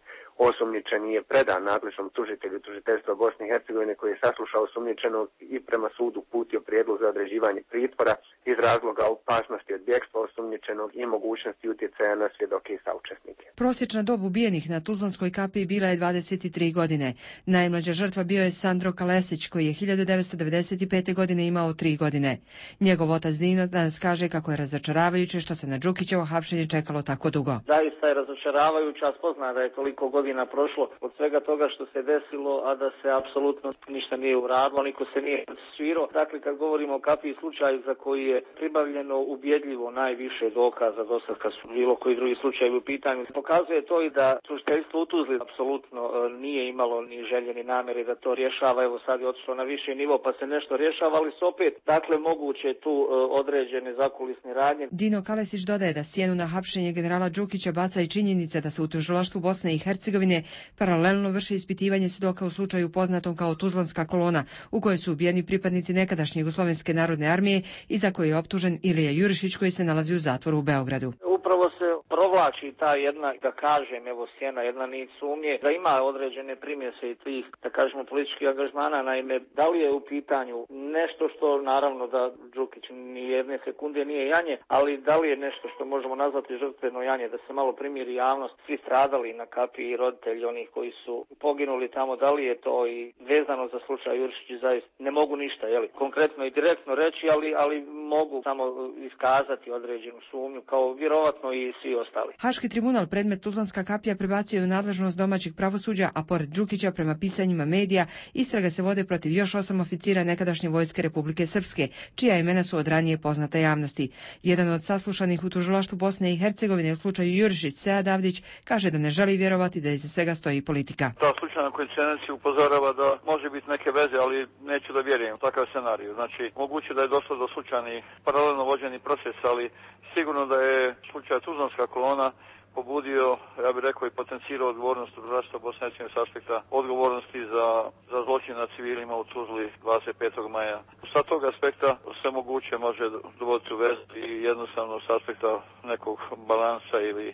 Osumnjičeni je predan nadležnom tužitelju tužiteljstva Bosne i Hercegovine koji je saslušao osumnjičenog i prema sudu uputio prijedlog za određivanje pritvora iz razloga opasnosti od bjegstva osumnjičenog i mogućnosti utjecaja na svjedoke i saučesnike. Prosječna dob ubijenih na Tuzlanskoj kapiji bila je dvadeset tri godine. Najmlađa žrtva bio je Sandro Kalesić koji je hiljadu devetsto devedeset pete. godine imao tri godine. Njegov otac Dino danas kaže kako je razočaravajuće što se na Đukićevo hapšenje čekalo tako dugo. Zaista je razočaravajuće, a spozna da je toliko godina prošlo od svega toga što se desilo, a da se apsolutno ništa nije uradilo, niko se nije procesuirao. Dakle, kad govorimo o kapiji slučaju za koji je pribavljeno ubjedljivo najviše dokaza do sad kad su bilo koji drugi slučajevi u pitanju, pokazuje to i da tužiteljstvo u Tuzli apsolutno nije imalo ni želje ni namjere da to rješava. Evo sad je otišlo na viši nivo pa se nešto rješava, ali se opet, dakle, moguće tu određene zakulisne radnje. Dino Kalesić dodaje da sjenu na hapšenje generala Đukića baca i činjenica da se u tužilaštvu Bosne i Hercegovine paralelno vrši ispitivanje svjedoka u slučaju poznatom kao Tuzlanska kolona, u kojoj su ubijeni pripadnici nekadašnje Jugoslovenske narodne armije i za koje je optužen Ilija Jurišić koji se nalazi u zatvoru u Beogradu. Upravo se provlači ta jedna, da kažem, evo sjena, jedna nit sumnje, da ima određene primjese i tih, da kažemo, političkih angažmana. Naime, da li je u pitanju nešto što, naravno da Đukić ni jedne sekunde nije janje, ali da li je nešto što možemo nazvati žrtveno janje, da se malo primiri javnost, svi stradali na kapiji i roditelji onih koji su poginuli tamo, da li je to i vezano za slučaj Jurišić, zaista ne mogu ništa, jeli, konkretno i direktno reći, ali, ali mogu samo iskazati određenu sumnju, kao vjerovatno i svi ostali. Haški tribunal predmet Tuzlanska kapija prebacio je u nadležnost domaćeg pravosuđa, a pored Đukića, prema pisanjima medija, istrage se vode protiv još osam oficira nekadašnje Vojske Republike Srpske, čija imena su od ranije poznata javnosti. Jedan od saslušanih u tužilaštvu Bosne i Hercegovine u slučaju Jurišić, Sead Avdić, kaže da ne želi vjerovati da iza svega stoji politika. Ta slučajna koincidencija upozorava da može biti neke veze, ali neću da vjerujem u takav scenarij. Znači, moguće da je došlo do slučajnih paralelno vođenih procesa, ali sigurno da je slučaj Tuzlanska kolona pobudio, ja bih rekao, i potencirao odgovornost tužilaštva Bosne i Hercegovine s aspekta odgovornosti za, za zločin nad civilima u Tuzli dvadeset petog maja. Sa tog aspekta sve moguće može dovoditi u vezu i jednostavno s aspekta nekog balansa ili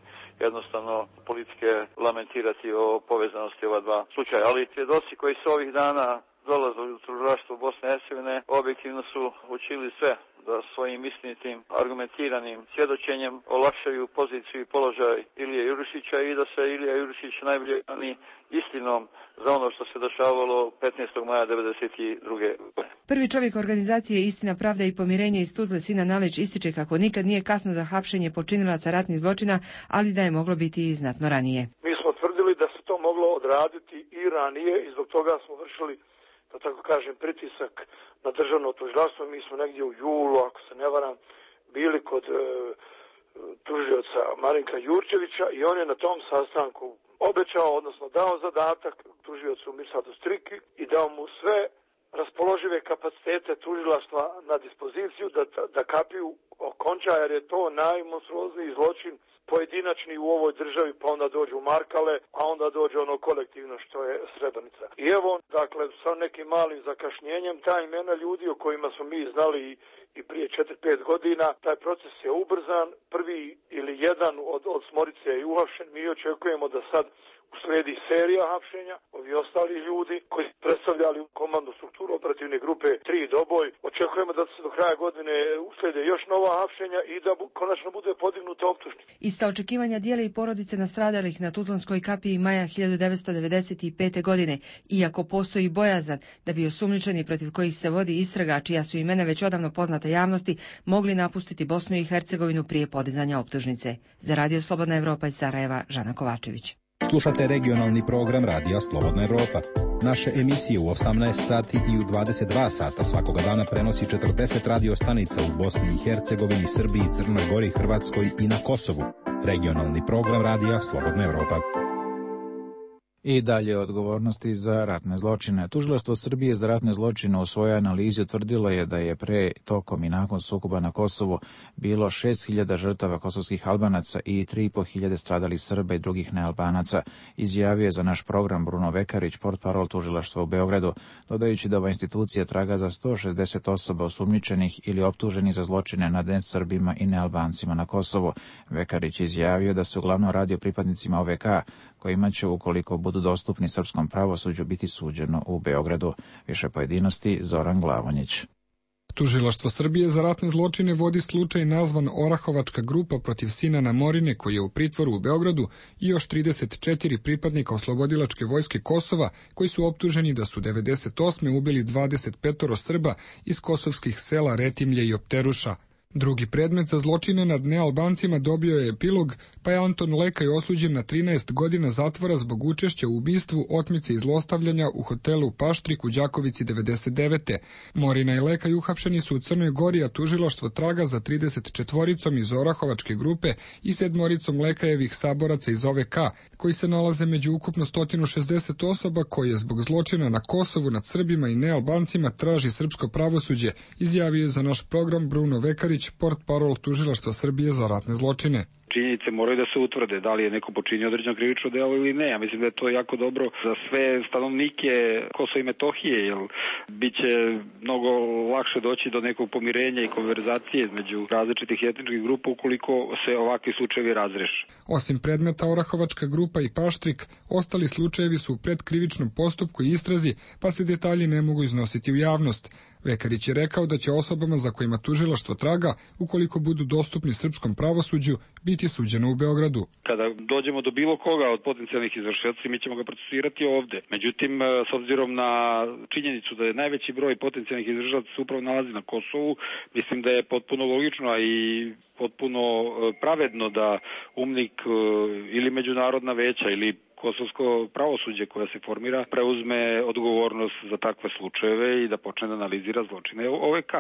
jednostavno politike lamentirati o povezanosti ova dva slučaja. Ali svjedoci koji su ovih dana dolazili u tužilaštvo Bosne i Hercegovine objektivno su učinili sve da svojim istinitim, argumentiranim svjedočenjem olakšaju poziciju i položaj Ilije Jurišića i da se Ilija Jurišić najbolje brani istinom za ono što se dešavalo petnaestog maja devedeset druge. Prvi čovjek organizacije Istina, pravda i pomirenje iz Tuzle, Sinan Nalić, ističe kako nikad nije kasno za hapšenje počinilaca ratnih zločina, ali da je moglo biti i znatno ranije. Mi smo tvrdili da se to moglo odraditi i ranije i zbog toga smo vršili, da tako kažem, pritisak na državno tužilaštvo. Mi smo negdje u julu, ako se ne varam, bili kod e, tužioca Marinka Jurčevića i on je na tom sastanku obećao, odnosno dao zadatak tužiocu Mirsadu Striki i dao mu sve raspoložive kapacitete tužilaštva na dispoziciju da, da kapiju okonča, jer je to najmonstruozniji zločin pojedinačni u ovoj državi, pa onda dođu Markale, a onda dođe ono kolektivno što je Srebrenica. I evo, dakle, sa nekim malim zakašnjenjem, ta imena ljudi o kojima smo mi znali i, i prije četiri pet godina, taj proces je ubrzan, prvi ili jedan od, od Smorice je uhapšen, mi očekujemo da sad uslijedi serija hapšenja, ovi ostali ljudi koji predstavljali komandnu strukturu operativne grupe tri Doboj. Očekujemo da se do kraja godine uslijede još nova hapšenja i da bu, konačno bude podignuta optužnica. Ista očekivanja dijele i porodice nastradalih na Tuzlanskoj kapiji maja hiljadu devetsto devedeset pete. godine, iako postoji bojazan da bi osumnjičeni protiv kojih se vodi istraga, čija su imena već odavno poznata javnosti, mogli napustiti Bosnu i Hercegovinu prije podizanja optužnice. Za Radio Slobodna Evropa iz Sarajeva, Žana Kovačević. Slušate regionalni program Radija Slobodna Evropa. Naše emisije u osamnaest sati i u dvadeset dva sata svakoga dana prenosi četrdeset radio stanica u Bosni i Hercegovini, Srbiji, Crnoj Gori, Hrvatskoj i na Kosovu. Regionalni program Radija Slobodna Evropa. I dalje odgovornosti za ratne zločine. Tužilaštvo Srbije za ratne zločine u svojoj analizi utvrdilo je da je pre, tokom i nakon sukoba na Kosovu bilo šest hiljada žrtava kosovskih Albanaca i tri i po hiljade stradalih Srba i drugih nealbanaca, izjavio je za naš program Bruno Vekarić, portparol tužilaštva u Beogradu, dodajući da ova institucija traga za sto šezdeset osoba osumnjičenih ili optuženih za zločine nad nesrbima i nealbancima na Kosovu. Vekarić izjavio da se uglavnom radi o pripadnicima O V K, kojima će, ukoliko budu dostupni srpskom pravosuđu, biti suđeno u Beogradu. Više pojedinosti Zoran Glavonjić. Tužilaštvo Srbije za ratne zločine vodi slučaj nazvan Orahovačka grupa protiv Sinana Morine, koji je u pritvoru u Beogradu, i još trideset četiri pripadnika oslobodilačke vojske Kosova, koji su optuženi da su devedeset osme ubili dvadeset pet Srba iz kosovskih sela Retimlje i Opteruša. Drugi predmet za zločine nad nealbancima dobio je epilog, pa je Anton Lekaj osuđen na trinaest godina zatvora zbog učešća u ubistvu, otmice i zlostavljanja u hotelu Paštrik u Đakovici devedeset devete. Morina i Lekaj uhapšeni su u Crnoj Gori, a tužilaštvo traga za trideset četvoricom iz Orahovačke grupe i sedmoricom Lekajevih saboraca iz O V K, koji se nalaze među ukupno sto šezdeset osoba koje zbog zločina na Kosovu nad Srbima i nealbancima traži srpsko pravosuđe, izjavio je za naš program Bruno Vekarić, portparol tužilaštva Srbije za ratne zločine. Činjenice moraju da se utvrde, da li je neko počinio određeno krivično delo ili ne. Ja mislim da je to jako dobro za sve stanovnike Kosova i Metohije, jer bit će mnogo lakše doći do nekog pomirenja i konverzacije između različitih etničkih grupa ukoliko se ovakvi slučajevi razreše. Osim predmeta Orahovačka grupa i Paštrik, ostali slučajevi su u predkrivičnom postupku i istrazi, pa se detalji ne mogu iznositi u javnost. Vekarić je rekao da će osobama za kojima tužilaštvo traga, ukoliko budu dostupni srpskom pravosuđu, biti suđeno u Beogradu. Kada dođemo do bilo koga od potencijalnih izvršioca, mi ćemo ga procesirati ovde. Međutim, s obzirom na činjenicu da je najveći broj potencijalnih izvršioca se upravo nalazi na Kosovu, mislim da je potpuno logično i potpuno pravedno da UMNIK ili međunarodna veća ili kosovsko pravosuđe koja se formira preuzme odgovornost za takve slučajeve i da počne da analizira zločine O V K.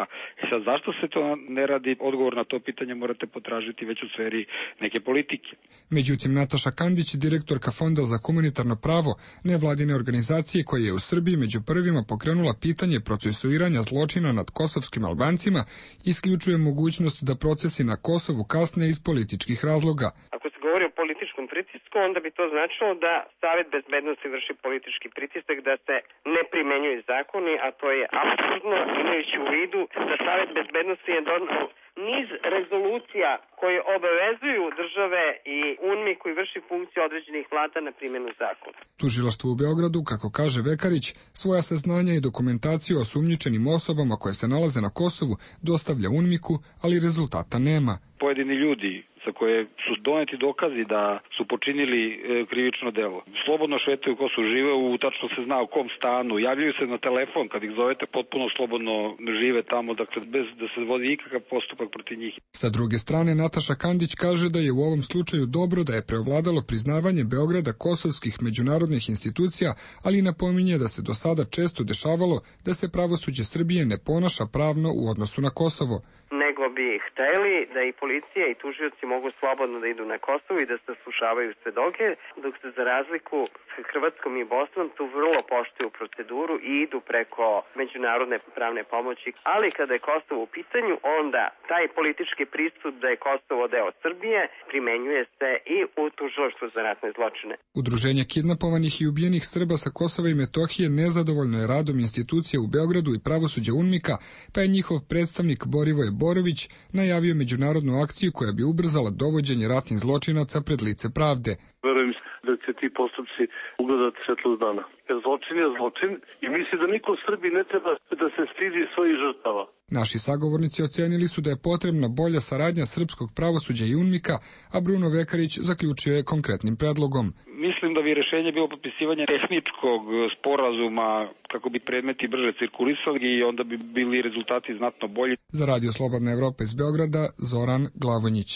I sad, zašto se to ne radi? Odgovor na to pitanje morate potražiti već u sferi neke politike. Međutim, Nataša Kandić, direktorka Fonda za humanitarno pravo, nevladine organizacije koja je u Srbiji među prvima pokrenula pitanje procesuiranja zločina nad kosovskim Albancima, isključuje mogućnost da procesi na Kosovu kasne iz političkih razloga. Ako se govori o političkom pritisku, onda bi to značilo da Savet bezbednosti vrši politički pritisak da se ne primenjuju zakoni, a to je apsurdno, imajući u vidu da Savet bezbednosti je donao niz rezolucija koje obavezuju države i UNMI koji vrši funkciju određenih vlada na primjenu zakona. Tužilaštvo u Beogradu, kako kaže Vekarić, svoja saznanja i dokumentaciju o sumnjičenim osobama koje se nalaze na Kosovu dostavlja UNMIK-u, ali rezultata nema. Pojedini ljudi za koje su doneti dokazi da su počinili e, krivično delo. Slobodno šetaju ko su žive, u tačno se zna u kom stanu, javljaju se na telefon kad ih zovete, potpuno slobodno žive tamo, dakle bez da se vodi ikakav postupak protiv njih. Sa druge strane, Nataša Kandić kaže da je u ovom slučaju dobro da je preovladalo priznavanje Beograda kosovskih međunarodnih institucija, ali napominje da se do sada često dešavalo da se pravosuđe Srbije ne ponaša pravno u odnosu na Kosovo. Nego bi hteli da i policija i tužioci mogu slobodno da idu na Kosovo i da se slušavaju svedoke, dok se za razliku s Hrvatskom i Bosnom tu vrlo poštuju proceduru i idu preko međunarodne pravne pomoći. Ali kada je Kosovo u pitanju, onda taj politički pristup da je Kosovo deo Srbije primenjuje se i u tužilaštvu za ratne zločine. Udruženje kidnapovanih i ubijenih Srba sa Kosova i Metohije nezadovoljno je radom institucije u Beogradu i pravosuđa UNMIK-a, pa je njihov predstavnik Borivoje Borović najavio međunarodnu akciju koja bi ubrzala dovođenje ratnih zločinaca pred lice pravde. Verujem da će ti postupci ugledati svetlost dana. Jer zločin je zločin i misli da niko u Srbiji ne treba da se stidi svojih žrtava. Naši sagovornici ocenili su da je potrebna bolja saradnja srpskog pravosuđa i UNMIK-a, a Bruno Vekarić zaključio je konkretnim predlogom. Mislim da bi rešenje bilo potpisivanje tehničkog sporazuma kako bi predmeti brže cirkulisali i onda bi bili rezultati znatno bolji. Za Radio Slobodna Evropa iz Beograda, Zoran Glavonjić.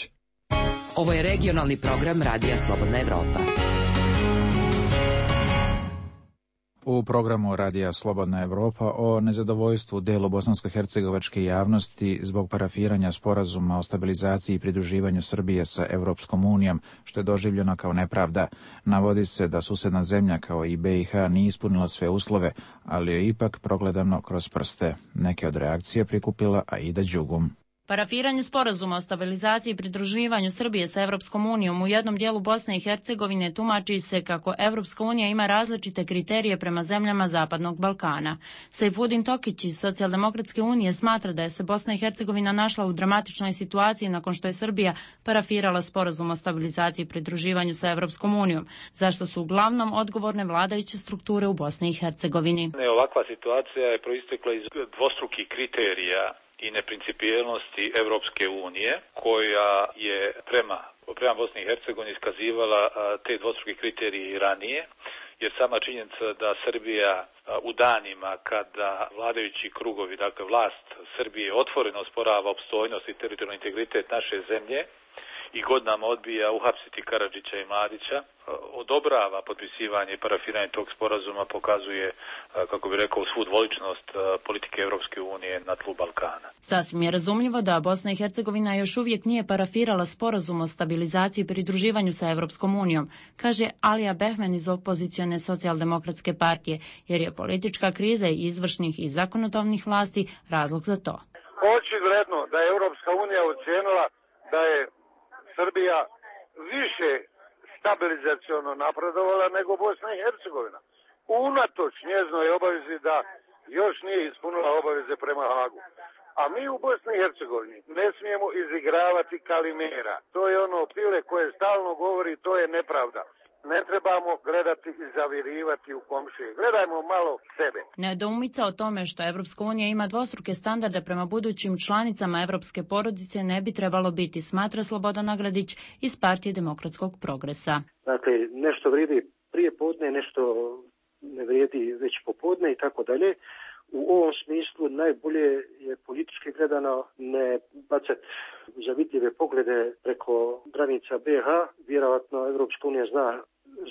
Ovo je regionalni program Radija Slobodna Evropa. U programu Radija Slobodna Evropa o nezadovoljstvu delu bosansko-hercegovačke javnosti zbog parafiranja sporazuma o stabilizaciji i pridruživanju Srbije sa Evropskom unijom, što je doživljeno kao nepravda. Navodi se da susedna zemlja kao i B i H nije ispunila sve uslove, ali je ipak progledano kroz prste. Neke od reakcije prikupila Aida Đugum. Parafiranje sporazuma o stabilizaciji i pridruživanju Srbije sa Evropskom unijom u jednom dijelu Bosne i Hercegovine tumači se kako Evropska unija ima različite kriterije prema zemljama Zapadnog Balkana. Sejfudin Tokić iz Socijaldemokratske unije smatra da je se Bosna i Hercegovina našla u dramatičnoj situaciji nakon što je Srbija parafirala sporazum o stabilizaciji i pridruživanju sa Evropskom unijom, zašto su uglavnom odgovorne vladajuće strukture u Bosni i Hercegovini. Ovakva situacija je proistekla iz dvostrukih kriterija i neprincipijelnosti Evropske unije, koja je prema, prema Bosni i Hercegovini iskazivala te dvostruke kriterije i ranije, jer sama činjenica da Srbija u danima kada vladajući krugovi, dakle vlast Srbije otvoreno osporava opstojnost i teritorijalni integritet naše zemlje i godinama odbija uhapsiti Karadžića i Mladića, odobrava potpisivanje i parafiranje tog sporazuma, pokazuje, kako bi rekao, svu dvoličnost politike Evropske unije na tlu Balkana. Sasvim je razumljivo da Bosna i Hercegovina još uvijek nije parafirala sporazum o stabilizaciji i pridruživanju sa Evropskom unijom, kaže Alija Behmen iz opozicione socijaldemokratske partije, jer je politička kriza i izvršnih i zakonodavnih vlasti razlog za to. Očigledno da je Evropska unija ocijenila da je Srbija više stabilizaciono napredovala nego Bosna i Hercegovina. Unatoč njeznoj obavezi da još nije ispunila obaveze prema Hagu. A mi u Bosni i Hercegovini ne smijemo izigravati Kalimera. To je ono pile koje stalno govori, to je nepravda. Ne trebamo gledati i zavirivati u komšije. Gledajmo malo sebe. Nedoumica o tome što Evropska unija ima dvostruke standarde prema budućim članicama evropske porodice ne bi trebalo biti, smatra Slobodan Nagradić iz Partije demokratskog progresa. Dakle, nešto vrijedi prije podne, nešto ne vrijedi već popodne i tako dalje. U ovom smislu najbolje je politički gledano ne bacati zavidljive poglede preko granica B i H. Vjerojatno Evropska unija zna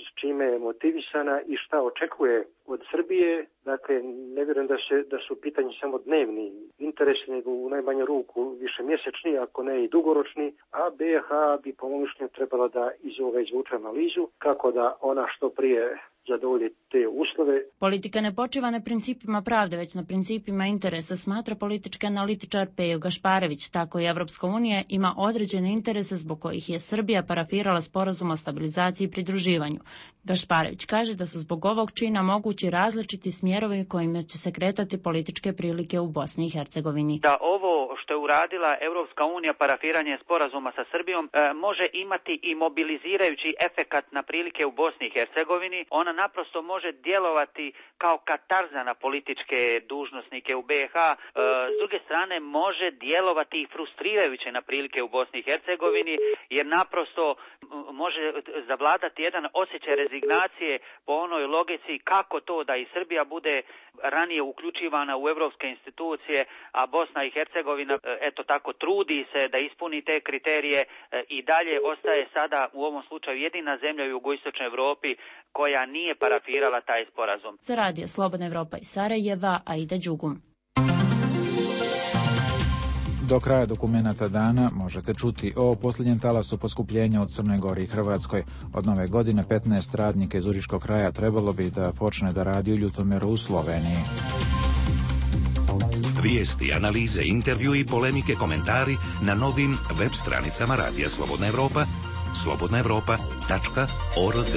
s čime je motivisana i šta očekuje od Srbije. Dakle, ne vjerujem da, se, da su pitanje samo dnevni interesi, nego u najmanju ruku više mjesečni, ako ne i dugoročni, a B i H bi po mom mišljenju trebala da iz ovoga izvuče analizu kako da ona što prije zadovolji te uslove. Politika ne počiva na principima pravde, već na principima interesa, smatra politički analitičar Pejo Gašparević. Tako i Evropska unija ima određene interese zbog kojih je Srbija parafirala sporazum o stabilizaciji i pridruživanju. Gašparević kaže da su zbog ovog čina mogući različiti smjerovi kojima će se kretati političke prilike u Bosni i Hercegovini. Da ovo što je uradila Evropska unija, parafiranje sporazuma sa Srbijom, e, može imati i mobilizirajući efekat na prilike u Bosni i Hercegovini. Ona naprosto može djelovati kao katarza na političke dužnosnike u B i H. E, s druge strane može djelovati i frustrirajuće na prilike u Bosni i Hercegovini, jer naprosto može zavladati jedan osjećaj rezignacije po onoj logici kako to da i Srbija bude ranije uključivana u evropske institucije, a Bosna i Hercegovina eto tako trudi se da ispuni te kriterije i dalje ostaje sada u ovom slučaju jedina zemlja u jugoistočnoj Europi koja nije parafirala taj sporazum. Za Radio Slobodna Evropa iz Sarajeva, Aida Đugum. Do kraja dokumenata dana možete čuti o posljednjem talasu poskupljenja od Crnoj Gori i Hrvatskoj. Od nove godine petnaest radnika iz Užičkog kraja trebalo bi da počne da radi u Ljutomeru u Sloveniji. Vijesti, analize, intervju i polemike, komentari na novim web stranicama Radija Slobodna Evropa, slobodna evropa tačka org.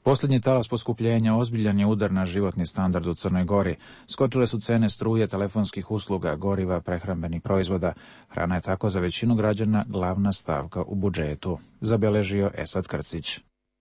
Posljednji talas poskupljenja ozbiljan je udar na životni standard u Crnoj Gori. Skočile su cene struje, telefonskih usluga, goriva, prehrambenih proizvoda. Hrana je tako za većinu građana glavna stavka u budžetu, zabeležio Esad Krcić.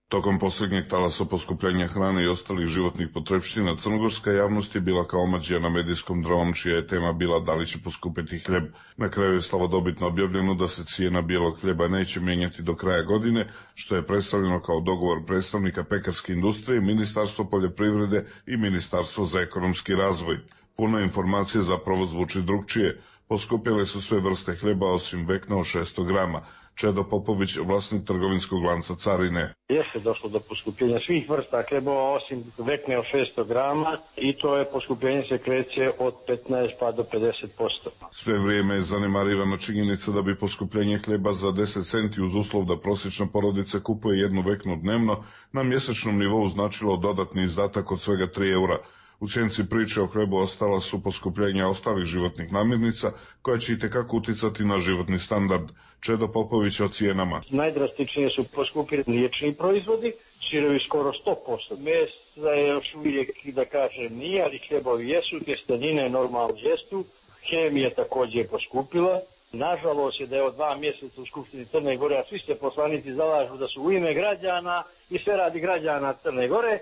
Tokom posljednjeg talasa poskupljenja hrane i ostalih životnih potrepština, crnogorska javnost je bila kao omađija na medijskom dramom, čija je tema bila da li će poskupiti hljeb. Na kraju je slavodobitno objavljeno da se cijena bijelog hljeba neće mijenjati do kraja godine, što je predstavljeno kao dogovor predstavnika pekarske industrije, Ministarstvo poljoprivrede i Ministarstvo za ekonomski razvoj. Puna informacija zapravo zvuči drugčije. Poskupjele su sve vrste hljeba osim vekna od šesto grama. Čedo Popović, vlasnik trgovinskog lanca Carine. Jeste došlo do poskupljenja svih vrsta hljebova osim vekne od šesto grama i to je poskupljenje se kreće od petnaest pa do pedeset posto. Sve vrijeme je zanemarivana činjenica da bi poskupljenje hljeba za deset centi uz uslov da prosječna porodica kupuje jednu veknu dnevno na mjesečnom nivou značilo dodatni izdatak od svega tri eura. U sjenci priče o hlebu ostala su poskupljenja ostalih životnih namirnica koja će itekako uticati na životni standard. Čedo Popović o cijenama. Najdrastičnije su poskupili mliječni proizvodi, sirovi skoro sto posto. Mesa je još uvijek, da kažem, nije, ali hljebovi jesu, tjestenine normalno jesu, hemija također poskupila. Nažalost je da je od dva mjeseca u Skupštini Crne Gore, a svi se poslanici zalažu da su u ime građana i sve radi građana Crne Gore,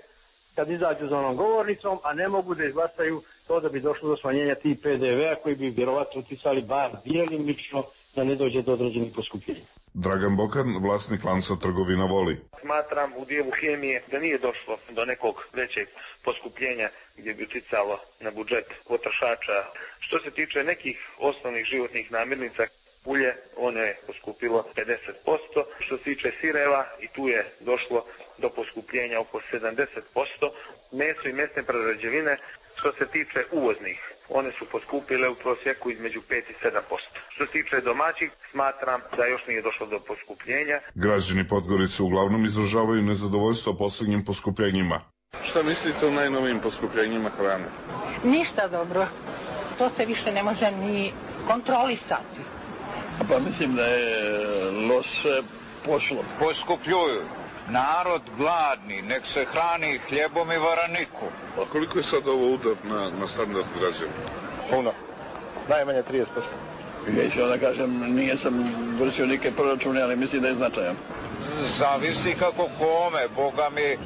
kad izađu za onom govornicom, a ne mogu da izglasaju to da bi došlo do smanjenja tih P D V-a koji bi vjerovatno uticali bar djelimično da ne dođe do određenih poskupljenja. Dragan Bokan, vlasnik lanca trgovina Voli. Smatram u dijelu hemije da nije došlo do nekog većeg poskupljenja gdje bi uticalo na budžet potrošača. Što se tiče nekih osnovnih životnih namirnica, ulje, ono je poskupilo pedeset posto. Što se tiče sireva, i tu je došlo do poskupljenja oko sedamdeset posto. Meso i mesne prerađevine, što se tiče uvoznih, one su poskupile u prosjeku između pet i sedam posto. Što se tiče domaćih, smatram da još nije došlo do poskupljenja. Građani Podgorice uglavnom izražavaju nezadovoljstvo posljednjim poskupljenjima. Šta mislite o najnovijim poskupljenjima hrane? Ništa dobro. To se više ne može ni kontrolisati. Pa mislim da je loše pošlo. Poskupljuju. Narod gladni, nek se hrani hljebom i varaniku. A koliko je sad ovo udar na, na standard građana? Puno. Najmanje trideset posto. Ja da kažem, nije sam vršio neke proračune, ali mislim da je značajan. Zavisi kako kome, Boga mi,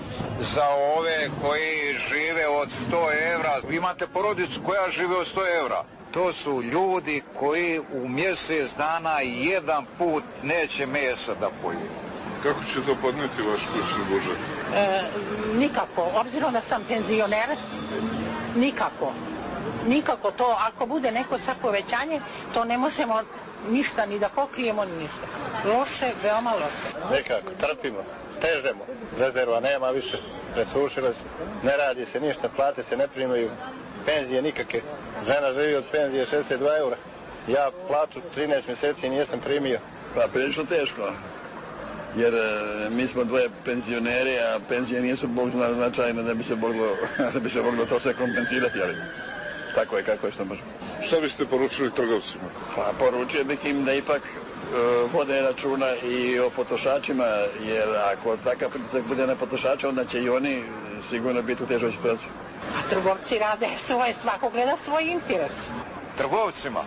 za ove koji žive od sto evra. Vi imate porodicu koja žive od sto evra. To su ljudi koji u mjesec dana jedan put neće mesa da pojedu. Kako će to podneti vaš kućni budžet? E, nikako, obzirom da sam penzioner, nikako. Nikako to, ako bude neko sad povećanje, to ne možemo ništa ni da pokrijemo, ni ništa. Loše, veoma loše. Nekako, trpimo, stežemo, rezerva nema više, presušile se, ne radi se ništa, plate se ne primaju, penzije nikakve. Žena živi od penzije šezdeset dva eura. Ja platu trinaest mjeseci nisam primio. Pa prilično teško. Jer e, mi smo dvoje penzioneri, a penzije nisu bog zna značajne da bi se moglo, da bi se moglo to sve kompenzirati, ali tako je kako je što možemo. Šta biste poručili trgovcima? Pa poručio bih im da ipak e, vode računa i o potrošačima, jer ako takav pritisak bude na potrošača, onda će i oni sigurno biti u težoj situaciji. A trgovci rade svoje, svako gleda svoj interes. Trgovcima?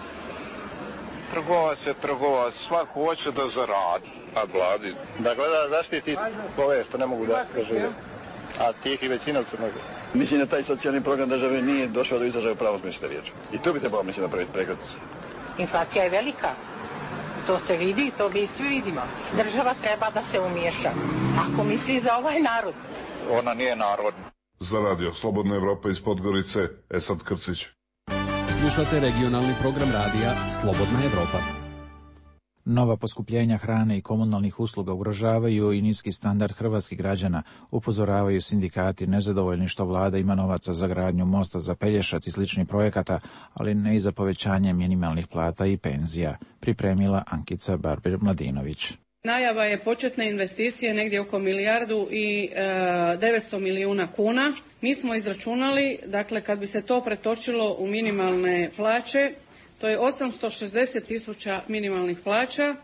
Trgovac je trgovac, svako hoće da zaradi. A vladi? Da gleda zaštiti ove što ne mogu da žive, a tih i većina u Crnoj Gori. Mislim da taj socijalni program države nije došao do izražaja u pravom smislu riječi. I tu bi trebalo, mislim, napraviti prekretnicu. Inflacija je velika. To se vidi, to mi svi vidimo. Država treba da se umiješa. Ako misli za ovaj narod. Ona nije narodna. Za radio Slobodna Evropa iz Podgorice, Esad Krcić. Slušate regionalni program radija Slobodna Evropa. Nova poskupljenja hrane i komunalnih usluga ugrožavaju i niski standard hrvatskih građana, upozoravaju sindikati nezadovoljni što vlada ima novaca za gradnju mosta za Pelješac i sličnih projekata, ali ne i za povećanje minimalnih plata i penzija, pripremila Ankica Barber-Mladinović. Najava je početne investicije negdje oko milijardu i e, devetsto milijuna kuna. Mi smo izračunali, dakle, kad bi se to pretočilo u minimalne plaće, to je osamsto šezdeset tisuća minimalnih plaća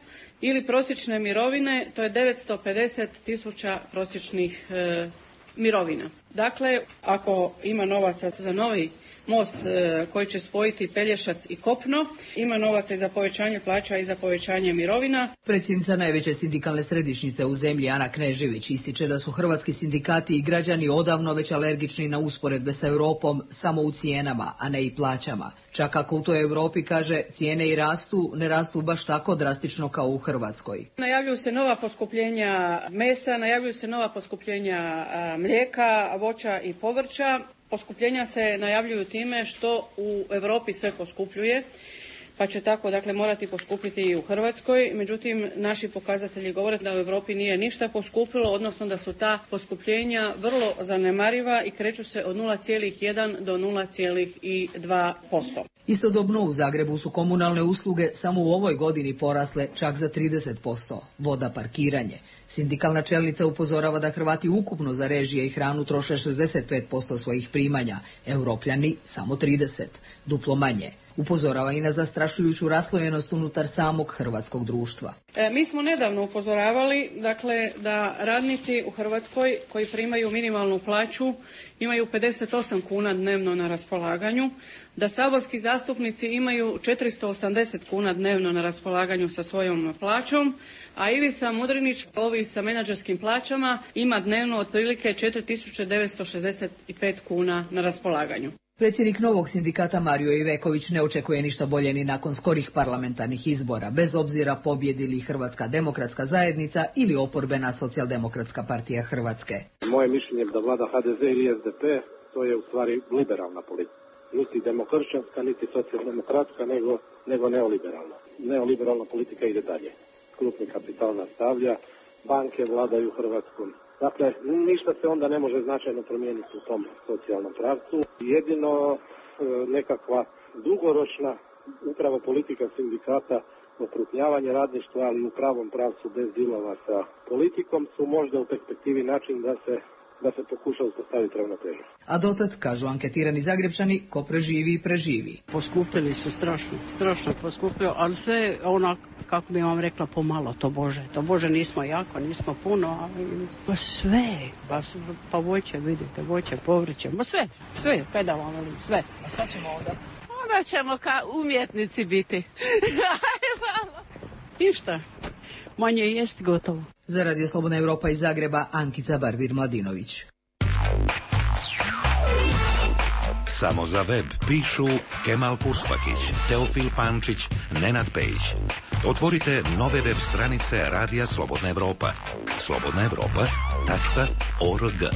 ili prosječne mirovine, to je devetsto pedeset tisuća prosječnih e, mirovina. Dakle, ako ima novaca za novi most e, koji će spojiti Pelješac i kopno, ima novaca i za povećanje plaća i za povećanje mirovina. Predsjednica najveće sindikalne središnjice u zemlji Ana Knežević ističe da su hrvatski sindikati i građani odavno već alergični na usporedbe sa Europom samo u cijenama, a ne i plaćama. Čak ako u toj Europi, kaže, cijene i rastu, ne rastu baš tako drastično kao u Hrvatskoj. Najavljuju se nova poskupljenja mesa, najavljuju se nova poskupljenja mlijeka, voća i povrća. Poskupljenja se najavljuju time što u Europi sve poskupljuje. pa će tako dakle morati poskupiti i u Hrvatskoj. Međutim, naši pokazatelji govore da u Europi nije ništa poskupilo, odnosno da su ta poskupljenja vrlo zanemariva i kreću se od nula zarez jedan do nula zarez dva posto. Istodobno u Zagrebu su komunalne usluge samo u ovoj godini porasle čak za trideset posto. Voda, parkiranje. Sindikalna čelnica upozorava da Hrvati ukupno za režije i hranu troše šezdeset pet posto svojih primanja, Europljani samo trideset, duplo manje. Upozorava i na zastrašujuću raslojenost unutar samog hrvatskog društva. E, mi smo nedavno upozoravali dakle, da radnici u Hrvatskoj koji primaju minimalnu plaću imaju pedeset osam kuna dnevno na raspolaganju, da saborski zastupnici imaju četiristo osamdeset kuna dnevno na raspolaganju sa svojom plaćom, a Ivica Mudrinić, ovi sa menadžerskim plaćama, ima dnevno otprilike četiri tisuće devetsto šezdeset pet kuna na raspolaganju. Predsjednik novog sindikata Mario Iveković ne očekuje ništa bolje ni nakon skorih parlamentarnih izbora, bez obzira pobjedi li Hrvatska demokratska zajednica ili oporbena socijaldemokratska partija Hrvatske. Moje mišljenje je da vlada H D Z ili S D P, to je u stvari liberalna politika. Niti demokršćanska, niti socijaldemokratska, nego, nego neoliberalna. Neoliberalna politika ide dalje. Krupni kapital nastavlja, banke vladaju Hrvatskom. Dakle, ništa se onda ne može značajno promijeniti u tom socijalnom pravcu. Jedino e, nekakva dugoročna upravo politika sindikata, okrupnjavanje radništva, ali u pravom pravcu bez dilova sa politikom, su možda u perspektivi način da se da se pokuša uspostaviti ravnotežu. A dotad, kažu anketirani Zagrebčani, ko preživi i preživi. Poskupili su strašno, strašno poskupio, ali sve ono, kako bi vam rekla, pomalo, to Bože. To Bože, nismo jako, nismo puno, ali pa sve, pa, pa voće, vidite, voće, povrće, ma sve, sve, kaj da vam velim, sve. A sad ćemo onda? Onda ćemo kao umjetnici biti. Ništa. Manje jest gotovo. Za Radio Slobodna Evropa iz Zagreba, Ankica Barbir-Mladinović. Samo za web pišu Kemal Kurspakić, Teofil Pančić, Nenad Pejić. Otvorite nove web stranice Radija Slobodna Evropa. slobodna evropa tačka org.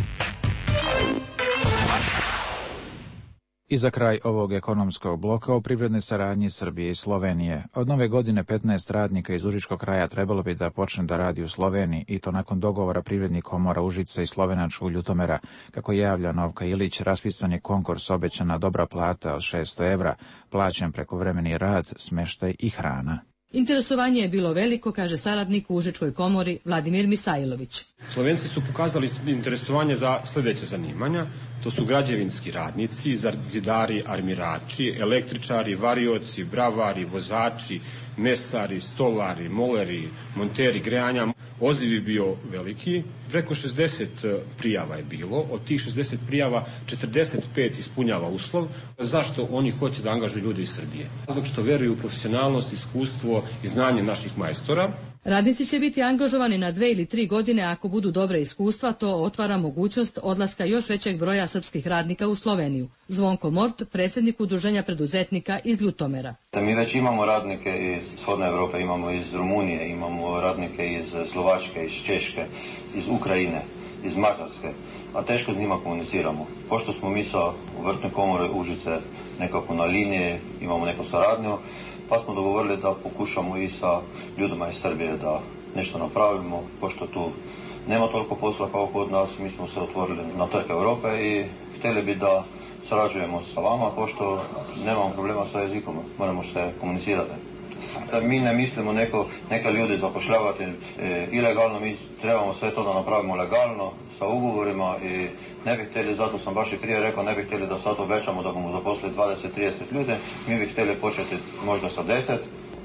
I za kraj ovog ekonomskog bloka o privrednoj saradnji Srbije i Slovenije. Od nove godine petnaest radnika iz Užičkog kraja trebalo bi da počne da radi u Sloveniji, i to nakon dogovora privrednih komora Užica i Slovenačkog Ljutomera. Kako javlja Novka Ilić, raspisan je konkurs, obećana dobra plata od šesto evra, plaćen prekovremeni rad, smeštaj i hrana. Interesovanje je bilo veliko, kaže saradnik u Užičkoj komori Vladimir Misajlović. Slovenci su pokazali interesovanje za sljedeće zanimanja. To su građevinski radnici, zidari, armirači, električari, varioci, bravari, vozači, mesari, stolari, moleri, monteri grejanja. Odziv je bio veliki. Preko šezdeset prijava je bilo. Od tih šezdeset prijava četrdeset pet ispunjava uslov. Zašto oni hoće da angažuju ljude iz Srbije? Zato što veruju u profesionalnost, iskustvo i znanje naših majstora. Radnici će biti angažovani na dve ili tri godine ako budu dobre iskustva, to otvara mogućnost odlaska još većeg broja srpskih radnika u Sloveniju. Zvonko Mort, predsjednik Udruženja preduzetnika iz Ljutomera. Mi već imamo radnike iz Shodne Evrope, imamo iz Rumunije, imamo radnike iz Slovačke, iz Češke, iz Ukrajine, iz Mađarske, a teško s njima komuniciramo. Pošto smo mi sa Vrtne komore Užice nekako na liniji, imamo neku saradnju, pa smo dogovorili da pokušamo i sa ljudima iz Srbije da nešto napravimo, pošto tu nema toliko posla kao kod nas, mi smo se otvorili na trg Europe i htjeli bi da sarađujemo sa vama, pošto nemamo problema sa jezikom, moramo se komunicirati. Mi ne mislimo neko, neke ljudi zapošljavati e, ilegalno, mi trebamo sve to da napravimo legalno, sa ugovorima, i ne bih htjeli, zato sam baš i prije rekao, ne bih htjeli da sad obećamo da bomo zaposlili dvadeset do trideset ljudi, mi bih htjeli početi možda sa deset,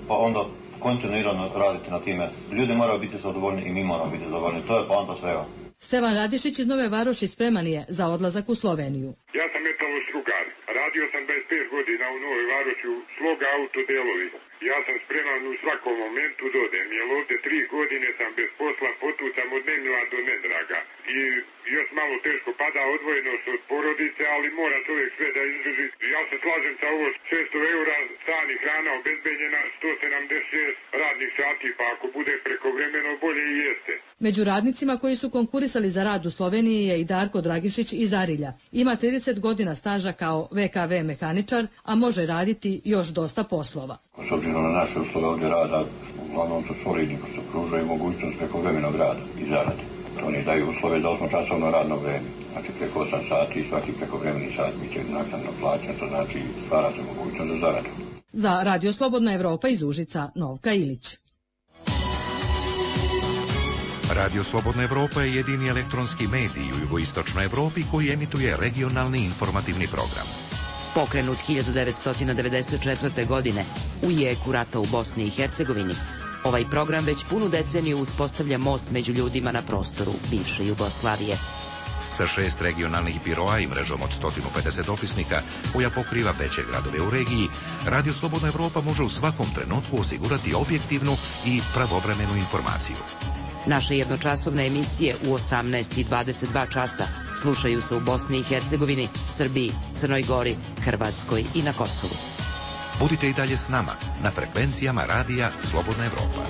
pa onda kontinuirano raditi na time. Ljudi moraju biti zadovoljni i mi moramo biti zadovoljni, to je poanta svega. Stevan Radišić iz Nove Varoši spreman je za odlazak u Sloveniju. Ja sam metalostrugar. Radio sam dvadeset pet godina u Novoj Varoši u Sloga autodelovi. Ja sam spreman u svakom momentu dodem, jer ovdje tri godine sam bez posla, potucam od nemila do nedraga. I još malo teško pada odvojenost od porodice, ali mora čovjek sve da izdrži. Ja se slažem sa ovo šesto eura, stan i hrana obezbeđena, sto sedamdeset šest radnih sati, pa ako bude prekovremeno bolje i jeste. Među radnicima koji su konkurisali za rad u Sloveniji je i Darko Dragišić iz Arilja. Ima trideset godina staža kao V K V mehaničar, a može raditi još dosta poslova. S obzirom na naše usluge ovdje rada, uglavnom su solidni, pošto pružaju mogućnost prekovremenog rada i zarade. Oni daju uslove za osmočasovno radno vrijeme. Znači preko osam sati i svaki prekovremeni sat bit će naknadno plaćen, to znači stvara se mogućnost za zaradu. Za Radio Slobodna Evropa iz Užica, Novka Ilić. Radio Slobodna Evropa je jedini elektronski medij u jugoistočnoj Evropi koji emituje regionalni informativni program. Pokrenut hiljadu devetsto devedeset četvrte. godine u jeku rata u Bosni i Hercegovini, ovaj program već punu deceniju uspostavlja most među ljudima na prostoru bivše Jugoslavije. Sa šest regionalnih biroa i mrežom od sto pedeset opisnika koja pokriva veće gradove u regiji, Radio Slobodna Evropa može u svakom trenutku osigurati objektivnu i pravovremenu informaciju. Naše jednočasovne emisije u osamnaest i dvadeset dva časa slušaju se u Bosni i Hercegovini, Srbiji, Crnoj Gori, Hrvatskoj i na Kosovu. Budite i dalje s nama na frekvencijama Radija Slobodna Evropa.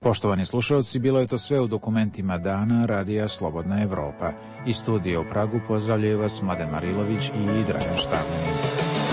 Poštovani slušalci, bilo je to sve u dokumentima dana Radija Slobodna Evropa. Iz studija u Pragu pozdravljaju vas Mladen Marilović i Dragan Štavljanin.